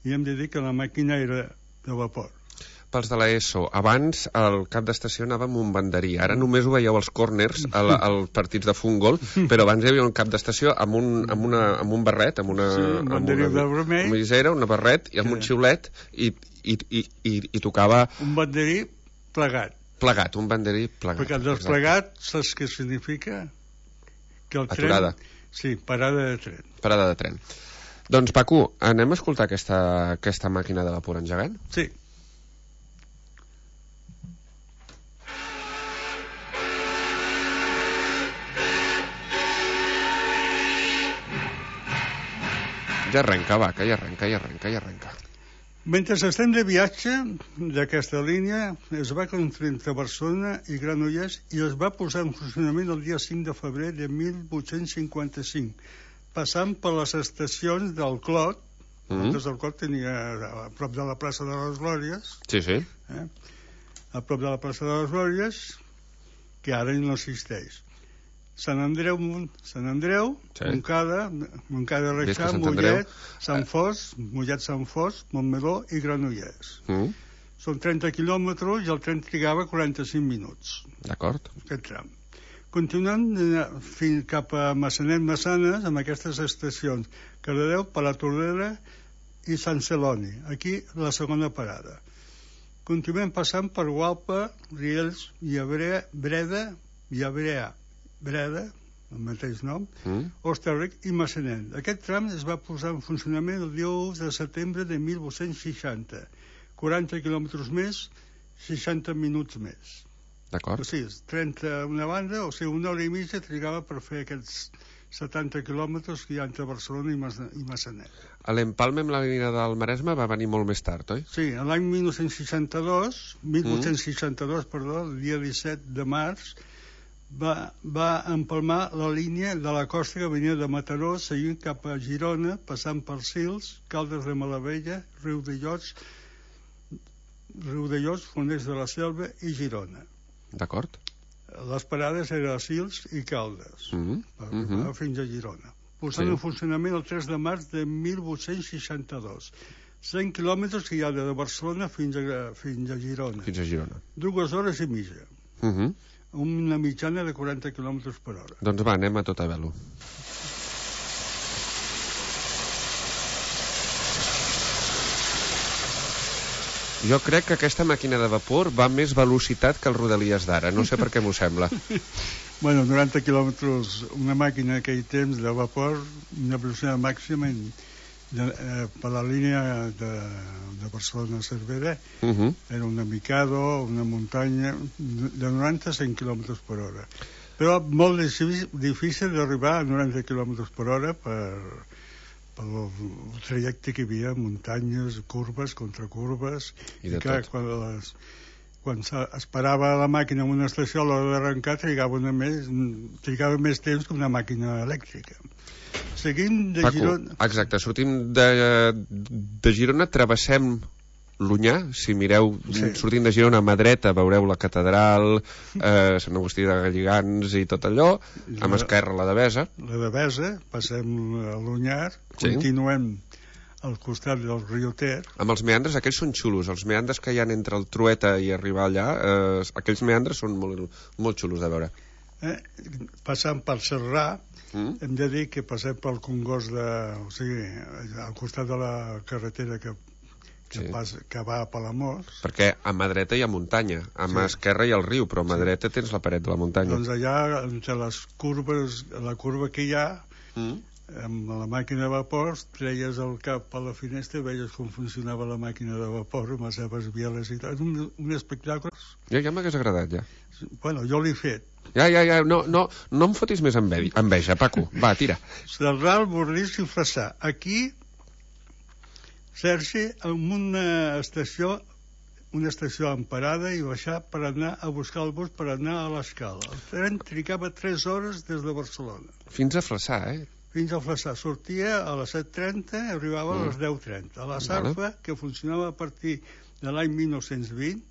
i hem de dir que la màquina era de vapor. Pels de l'ESO, abans el cap d'estació anava amb un banderí, ara només ho veieu als corners, al, als partits de futbol, però abans hi havia un cap d'estació amb un, amb una, amb un barret, amb una, sí, un amb una, de vermell, una visera, una barret i amb sí. un xiulet i, i, i, i, i tocava... Un banderí plegat. Plegat, un banderí plegat. Perquè el desplegat, saps què significa? Que el Aturada. Tren, sí, parada de tren. Parada de tren. Doncs, Paco, anem a escoltar aquesta, aquesta màquina de vapor engegant? Sí. Ja arrenca, va, que ja arrenca, ja arrenca, ja arrenca. Mentre estem de viatge d'aquesta línia, es va construir entre Barcelona i Granollers i es va posar en funcionament el dia cinc de febrer de mil vuit-cents cinquanta-cinc, passant per les estacions del Clot. Mm. El Clot tenia a prop de la plaça de les Glòries. Sí, sí. Eh? A prop de la plaça de les Glòries, que ara no existeix. Sant Andreu, Sant Andreu, sí. Montcada, Montcada de Reixà, Mollet, Sant Fos, Mollet, Sant Fos, Montmeló i Granollers. Mm. Són trenta quilòmetres i el tren trigava quaranta-cinc minuts. D'acord. Aquest tram. Continuant fins cap a Massanet, Massanes, amb aquestes estacions, Cardedeu, Palatordera i Sant Celoni. Aquí la segona parada. Continuem passant per Gualpa, Riells, Llebrea, Breda, Llebrea, Breda, el mateix nom, mm. Hostalric i Massanet. Aquest tram es va posar en funcionament el dia u de setembre de mil vuit-cents seixanta. quaranta quilòmetres més, seixanta minuts més. D'acord. O sigui, trenta una banda, o sigui, una hora i mitja trigava per fer aquests setanta quilòmetres que hi ha entre Barcelona i Massanet. L'empalme amb la línia del Maresme va venir molt més tard, oi? Sí, l'any mil nou-cents seixanta-dos, mil vuit-cents seixanta-dos, mm. perdó, el dia disset de març, Va, va empalmar la línia de la costa que venia de Mataró seguint cap a Girona, passant per Sils, Caldes de Malavella, Riu de Llots, Riu de Llots, Foners de la Selva i Girona. D'acord. Les parades eren a Sils i Caldes, mm-hmm. per arribar mm-hmm. fins a Girona. Posant sí. en funcionament el tres de març de mil vuit-cents seixanta-dos. cent quilòmetres que hi ha de Barcelona fins a, fins a Girona. Fins a Girona. Dues hores i mitja. Mhm. Una mitjana de quaranta quilòmetres per hora. Doncs va, anem a tota velo. Jo crec que aquesta màquina de vapor va a més velocitat que el Rodalies d'ara. No sé per què m'ho sembla. Bueno, noranta quilòmetres, una màquina en aquell temps de vapor, una velocitat màxima en, de, eh, per la línia de, de Barcelona a Cervera, uh -huh. era una Mikado, una muntanya de noranta a cent quilòmetres per hora. Però molt difícil d'arribar a noranta quilòmetres per hora per, per el trajecte que hi havia, muntanyes, curves, contracurves, i, i clar, quan, les, quan es parava la màquina en una estació a l'hora d'arrencar trigava, una més, trigava més temps que una màquina elèctrica. Seguim de Paco, Girona... Exacte, sortim de, de Girona, travessem l'Onyar, si mireu, sí. sortint de Girona a mà dreta veureu la catedral, eh, Sant Agustí de Galligants i tot allò, a mà esquerra la Devesa. La Devesa, passem a l'Onyar, sí. continuem al costat del riu Ter. Amb els meandres, aquells són xulos, els meandres que hi ha entre el Trueta i arribar allà, eh, aquells meandres són molt, molt xulos de veure. Eh, passant per Serrà, Mm? hem de dir que passem pel Congost de, o sigui, al costat de la carretera que, que, sí. pas, que va a Palamós, perquè a mà dreta hi ha muntanya, a mà sí. esquerra hi ha el riu, però a mà sí. dreta tens la paret de la muntanya. Doncs allà, entre les curves, la curva que hi ha, mm? amb la màquina de vapor, treies el cap a la finestra i veies com funcionava la màquina de vapor amb les seves bieles i tal. Un, un espectacle. Ja, ja m'hagués agradat, ja. Bueno, jo l'he fet. Ja, ja, ja, no, no, no em fotis més enveja, Paco. Va, tira. Serral, Borrís i Flaçà. Aquí, Sergi, en una estació, una estació en parada i baixar per anar a buscar el bus per anar a l'Escala. El tren trigava tres hores des de Barcelona. Fins a Flaçà, eh? Fins a Flaçà. Sortia a les set trenta i arribava mm. a les deu trenta. A la Sarfa, vale. que funcionava a partir de l'any mil nou-cents vint,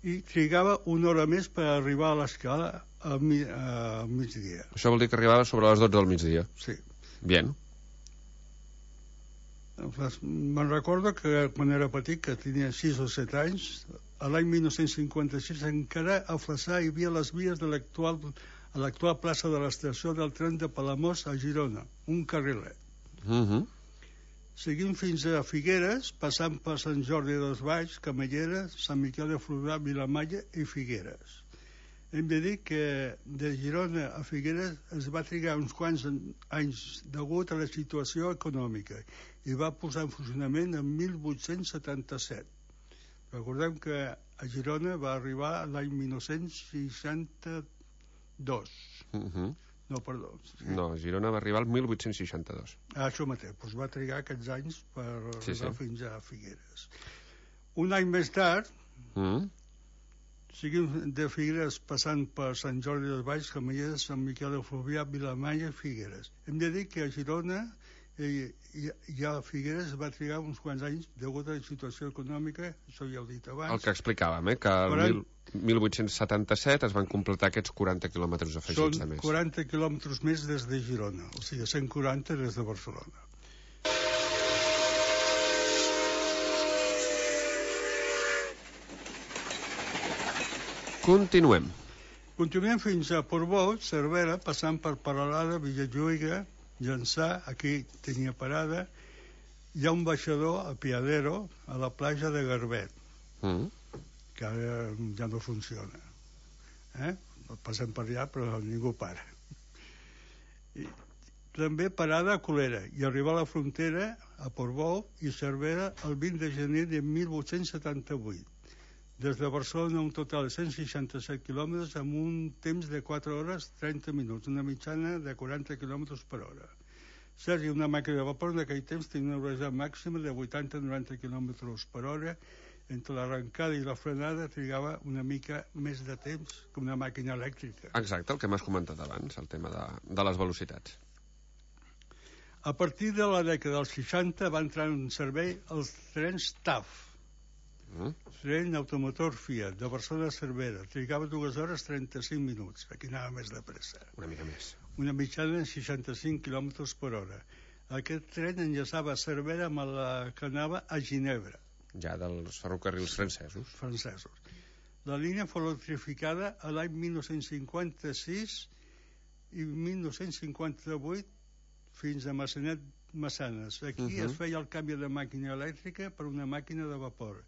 i trigava una hora més per arribar a l'Escala al, mi, al migdia. Això vol dir que arribava sobre les dotze del migdia? Sí. Bien. Me'n recordo que quan era petit, que tenia sis o set anys, a l'any mil nou-cents cinquanta-sis encara a Flaçà hi havia les vies de l'actual a l'actual plaça de l'estació del tren de Palamós a Girona, un carrilet. Mhm. Uh-huh. Seguim fins a Figueres, passant per Sant Jordi dels Valls, Camallera, Sant Miquel de Fluvià, Vilamalla i Figueres. Hem de dir que de Girona a Figueres es va trigar uns quants anys degut a la situació econòmica i va posar en funcionament en mil vuit-cents setanta-set. Recordem que a Girona va arribar l'any mil nou-cents seixanta-dos. Uh-huh. No, perdó. Sí. No, Girona va arribar al mil vuit-cents seixanta-dos. Ah, això mateix, doncs va trigar aquests anys per sí, arribar sí. fins a Figueres. Un any més tard, mm. seguim de Figueres passant per Sant Jordi dels Valls, Camallers, Sant Miquel de Fluvià, Vilamanya i Figueres. Hem de dir que a Girona i, i, i a Figueres va trigar uns quants anys degut a la situació econòmica, això ja ho he dit abans. El que explicàvem, eh, que el mil vuit-cents setanta-set es van completar aquests quaranta quilòmetres afegits de més. Són quaranta quilòmetres més des de Girona, o sigui, cent quaranta des de Barcelona. Continuem. Continuem fins a Portbou, Cervera, passant per Peralada, Villalluïga, Llançà, aquí tenia parada. Hi ha un baixador, a Piadero, a la platja de Garbet, mm. que ara ja no funciona. Eh? Passem per allà, però ningú para. I també parada a Colera, i arribar a la frontera, a Portbou i Cervera, el vint de gener de mil vuit-cents setanta-vuit. Des de Barcelona un total de cent seixanta-set quilòmetres amb un temps de quatre hores trenta minuts, una mitjana de quaranta quilòmetres per hora. Sergi, una màquina de vapor en aquell temps tenia una velocitat màxima de vuitanta a noranta quilòmetres per hora. Entre l'arrencada i la frenada trigava una mica més de temps que una màquina elèctrica. Exacte, el que m'has comentat abans, el tema de, de les velocitats. A partir de la dècada dels seixanta va entrar en servei els trens T A F, Mm. tren automotor Fiat de Barcelona a Cervera, trigava dues hores trenta-cinc minuts, aquí anava més de pressa, una mica més, una mitjana de seixanta-cinc quilòmetres per hora. Aquest tren enllaçava a Cervera amb la que anava a Ginebra, ja dels ferrocarrils francesos francesos la línia fou electrificada a l'any mil nou-cents cinquanta-sis i mil nou-cents cinquanta-vuit fins a Massanet Massanes. Aquí uh-huh. es feia el canvi de màquina elèctrica per una màquina de vapor.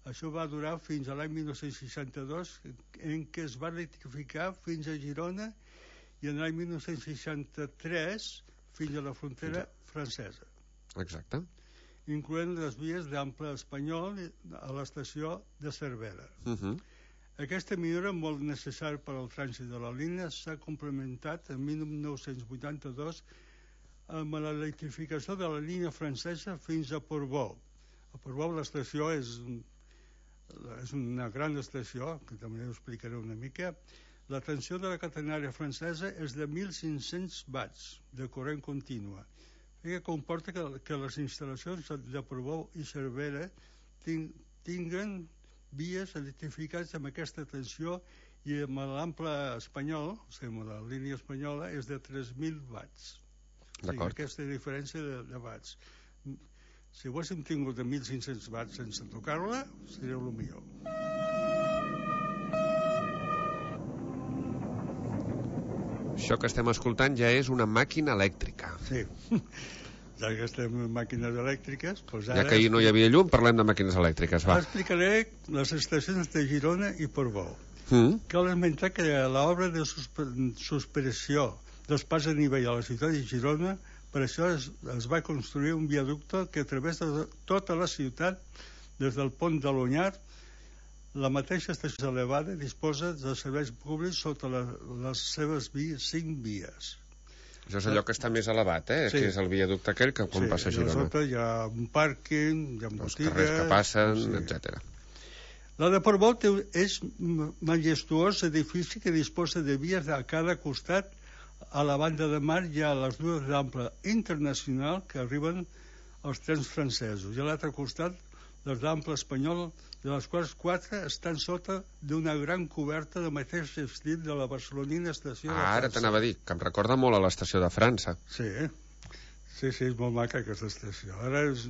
Això va durar fins a l'any mil nou-cents seixanta-dos, en què es va electrificar fins a Girona, i en l'any mil nou-cents seixanta-tres fins a la frontera francesa. Exacte. Incloent les vies d'ample espanyol a l'estació de Cervera. Uh-huh. Aquesta millora, molt necessària per al trànsit de la línia, s'ha complementat en mil nou-cents vuitanta-dos amb l'electrificació de la línia francesa fins a Portbou. A Portbou l'estació és... és una gran estació, que també ho explicaré una mica. La tensió de la catenària francesa és de mil cinc-cents watts de corrent contínua, que comporta que, que les instal·lacions de Portbou i Cervera ting, tinguen vies electrificats amb aquesta tensió, i amb l'ample espanyol, o sigui, amb la línia espanyola, és de tres mil watts. O sigui, aquesta diferència de, de watts. Si ho haguéssim tingut de mil cinc-cents watts sense tocar-la, seria el millor. Això que estem escoltant ja és una màquina elèctrica. Sí, ja que estem en màquines elèctriques... Doncs ara ja que ahir no hi havia llum, parlem de màquines elèctriques, va. Ara explicaré les estacions de Girona i Portbou. Mm. Cal esmentar que l'obra de suspensió dels pas a nivell a la ciutat de Girona, per això es, es va construir un viaducte que travessa tota la ciutat des del pont de l'Onyar. La mateixa estació elevada disposa de serveis públics sota la, les seves vies, cinc vies. Això és allò que està més elevat, eh? Sí. Que és el viaducte aquell que quan sí, passa a Girona. Sota hi ha un pàrquing, hi ha botigues... Els carrers que passen, sí. etcètera. La de Portbou és majestuós edifici que disposa de vies a cada costat. A la banda de mar hi ha les dues d'ample internacional que arriben als trens francesos, i a l'altre costat les d'ample espanyol, de les quals quatre estan sota d'una gran coberta de mateix estil de la barcelonina estació de França. Ara t'anava a dir, que em recorda molt a l'estació de França. Sí, sí, sí, és molt maca aquesta estació. Ara és,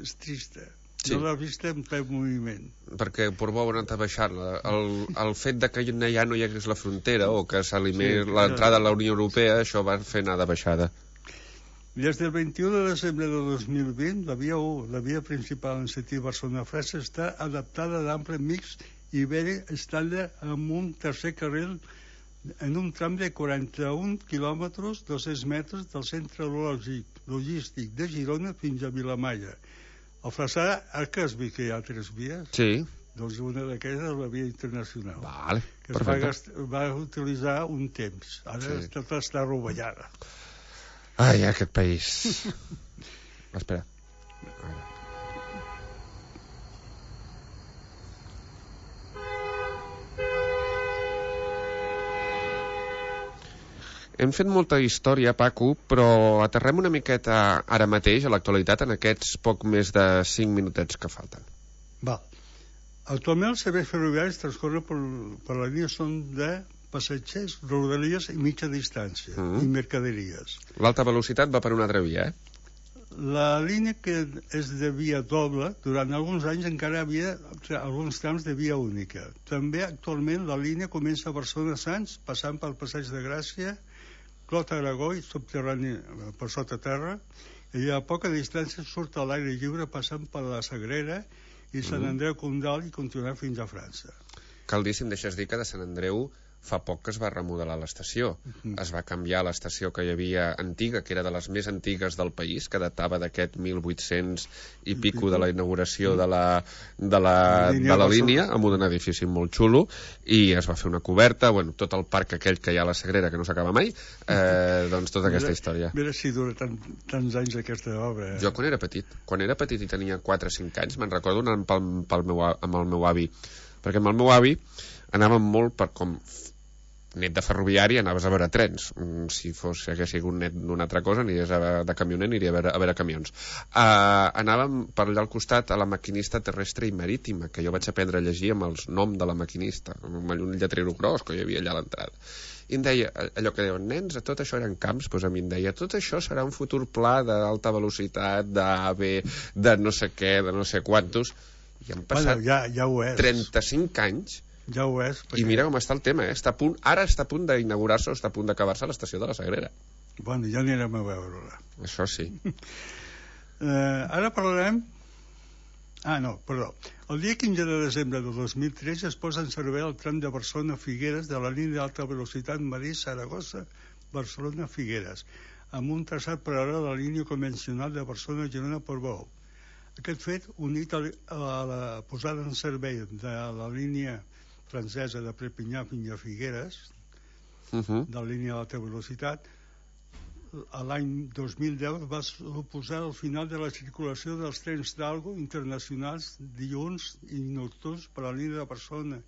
és trista. Sí. No l'ha vist en ple moviment. Perquè Portbou ha anat a baixar-la. El, el fet de que ja no hi hagués la frontera o que s'elimini sí, l'entrada a la Unió Europea, això va fer anar de baixada. Des del vint-i-u de desembre de dos mil vint, la via u, la via principal en sentit Barcelona-França, està adaptada d'ample mixt ibèric estàndard amb un tercer carril en un tram de quaranta-un quilòmetres, dos-cents metres del centre logístic de Girona fins a Vilamalla. Al Flaçà, ara que has vist que hi ha tres vies? Sí. Doncs una d'aquestes és la via internacional. Vale, que es va, gast... va utilitzar un temps. Ara sí. Tot està rovellada. Ai, aquest país. Espera. Hem fet molta història, Paco, però aterrem una miqueta ara mateix, a l'actualitat, en aquests poc més de cinc minutets que falten. Val. Actualment els serveis ferroviaris transcorren per, per la línia són de passatgers, rodalies i mitja distància, mm. i mercaderies. L'alta velocitat va per una altra via, eh? La línia que és de via doble, durant alguns anys encara havia alguns trams de via única. També actualment la línia comença a Barcelona Sants, passant pel Passeig de Gràcia, Clot Aragó i subterrani per sota terra, i a poca distància surt a l'aire lliure passant per la Sagrera i Sant Andreu Condal i continuar fins a França. Cal dir, si em deixes dir, que de Sant Andreu fa poc que es va remodelar l'estació. Uh-huh. Es va canviar l'estació que hi havia antiga, que era de les més antigues del país, que datava d'aquest mil vuit-cents i pico de la inauguració de la, de la, línia, de la línia, amb un edifici molt xulo, i es va fer una coberta, bueno, tot el parc aquell que hi ha a la Sagrera, que no s'acaba mai, eh, doncs tota aquesta mira, història. Mira si dura tant, tants anys aquesta obra. Eh? Jo quan era petit, quan era petit i tenia quatre o cinc anys, me'n recordo anant pel, pel meu, amb el meu avi, perquè amb el meu avi anàvem molt per com net de ferroviari, anaves a veure trens. Si fos, si hagués sigut net d'una altra cosa, aniries a, de camioner, aniria a veure, a veure camions. Uh, anàvem per allà al costat a la maquinista terrestre i marítima, que jo vaig aprendre a llegir amb els nom de la maquinista, amb un lletrero gros que hi havia allà a l'entrada. I em deia, allò que deien, nens, tot això eren camps, doncs a mi em deia, tot això serà un futur pla d'alta velocitat, d'AVE, de no sé què, de no sé quantos. I han passat bueno, ja, ja ho és. trenta-cinc anys. Ja ho és. Perquè... I mira com està el tema, eh? Està a punt, ara està a punt d'inaugurar-se o està a punt d'acabar-se l'estació de la Sagrera. Bueno, ja anirem a veure-la. Això sí. eh, ara parlarem... Ah, no, perdó. El dia quinze de desembre de dos mil tretze es posa en servei el tram de Barcelona-Figueres de la línia d'alta velocitat Madrid-Saragossa-Barcelona-Figueres, amb un traçat paral·lel a la línia convencional de Barcelona-Girona-Portbou. Aquest fet, unit a la posada en servei de la línia francesa de Perpinyà fins a Figueres, uh-huh. de la línia d'alta velocitat, l'any dos mil deu va suposar el final de la circulació dels trens d'Algo internacionals dilluns i nocturns per a la línia de Barcelona,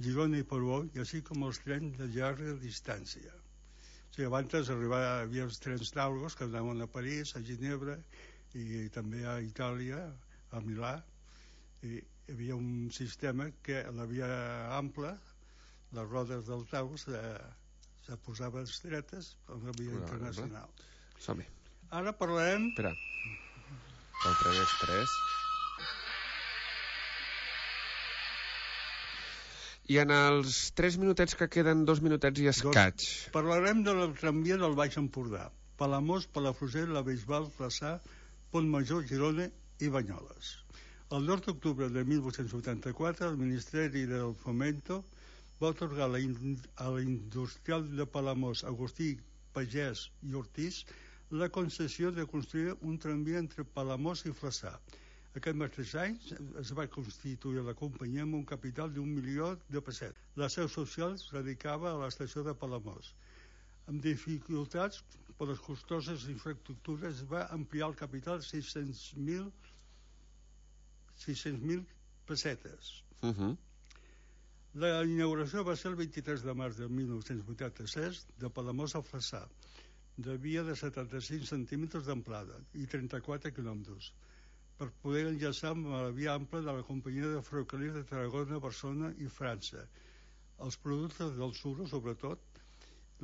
Girona i Portbou, i així com els trens de llarga distància. O sigui, abans arribava, hi havia els trens d'Algo que anaven a París, a Ginebra, i també a Itàlia, a Milà, i hi havia un sistema que la via ampla, les rodes del Taus se, se posaven estretes per la via Una internacional. Som-hi. Ara parlarem... Espera. El tren express. I en els tres minutets que queden, dos minutets i escaig. Doncs parlarem de la tramvia del Baix Empordà. Palamós, Palafrugell, la Bisbal, Flaçà, Pont Major, Girona i Banyoles. El dos d'octubre de mil vuit-cents vuitanta-quatre, el Ministeri del Fomento va atorgar a l'industrial de Palamós, Agustí Pagès i Ortiz, la concessió de construir un tramvia entre Palamós i Flaçà. Aquest mateix any es va constituir la companyia amb un capital d'un milió de pessetes. La seu social es dedicava a l'estació de Palamós. Amb dificultats per les costoses infraestructures va ampliar el capital sis-cents mil pessetes. Uh-huh. La inauguració va ser el vint-i-tres de març de mil nou-cents vuitanta-set de Palamós a Flaçà, de via de setanta-cinc centímetres d'amplada i trenta-quatre quilòmetres, per poder enllaçar amb la via ampla de la companyia de ferrocarrils de Tarragona, Barcelona i França. Els productes del Suro, sobretot,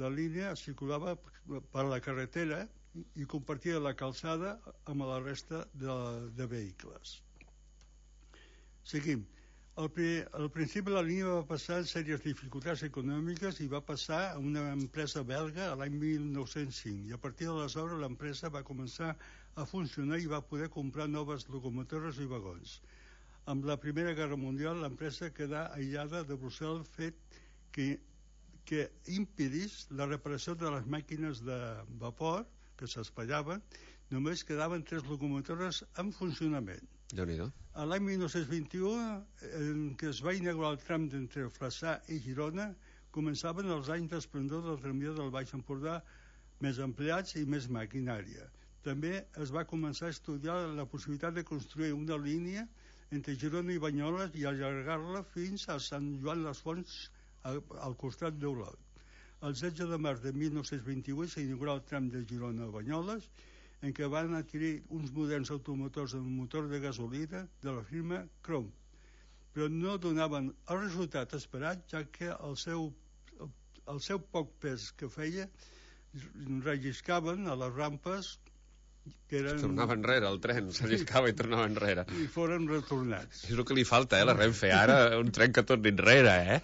la línia circulava per la carretera i compartia la calçada amb la resta de, de vehicles. Seguim. Al, al principi la línia va passar en sèries dificultats econòmiques i va passar a una empresa belga a l'any mil nou-cents cinc, i a partir d'aleshores l'empresa va començar a funcionar i va poder comprar noves locomotores i vagons. Amb la Primera Guerra Mundial l'empresa quedà aïllada de Brussel, fet que, que impedís la reparació de les màquines de vapor que s'espallaven. Només quedaven tres locomotores en funcionament. Déu-n'hi-do. A l'any mil nou-cents vint-i-u, en què es va inaugurar el tram d'entre Flaçà i Girona, començaven els anys d'esplendor del tramvia del Baix Empordà, més empleats i més maquinària. També es va començar a estudiar la possibilitat de construir una línia entre Girona i Banyoles i allargar-la fins a Sant Joan les Fonts, al costat d'Olot. El setze de març de mil nou-cents vint-i-vuit s'inaugurà el tram de Girona a Banyoles, en què van adquirir uns moderns automotors amb motor de gasolina de la firma Crom, però no donaven el resultat esperat, ja que el seu, el seu poc pes que feia relliscaven a les rampes que eren... Es tornava enrere, el tren, s'alliscava i tornava enrere. I foren retornats. És el que li falta, eh, la Renfe, ara, un tren que torni enrere, eh?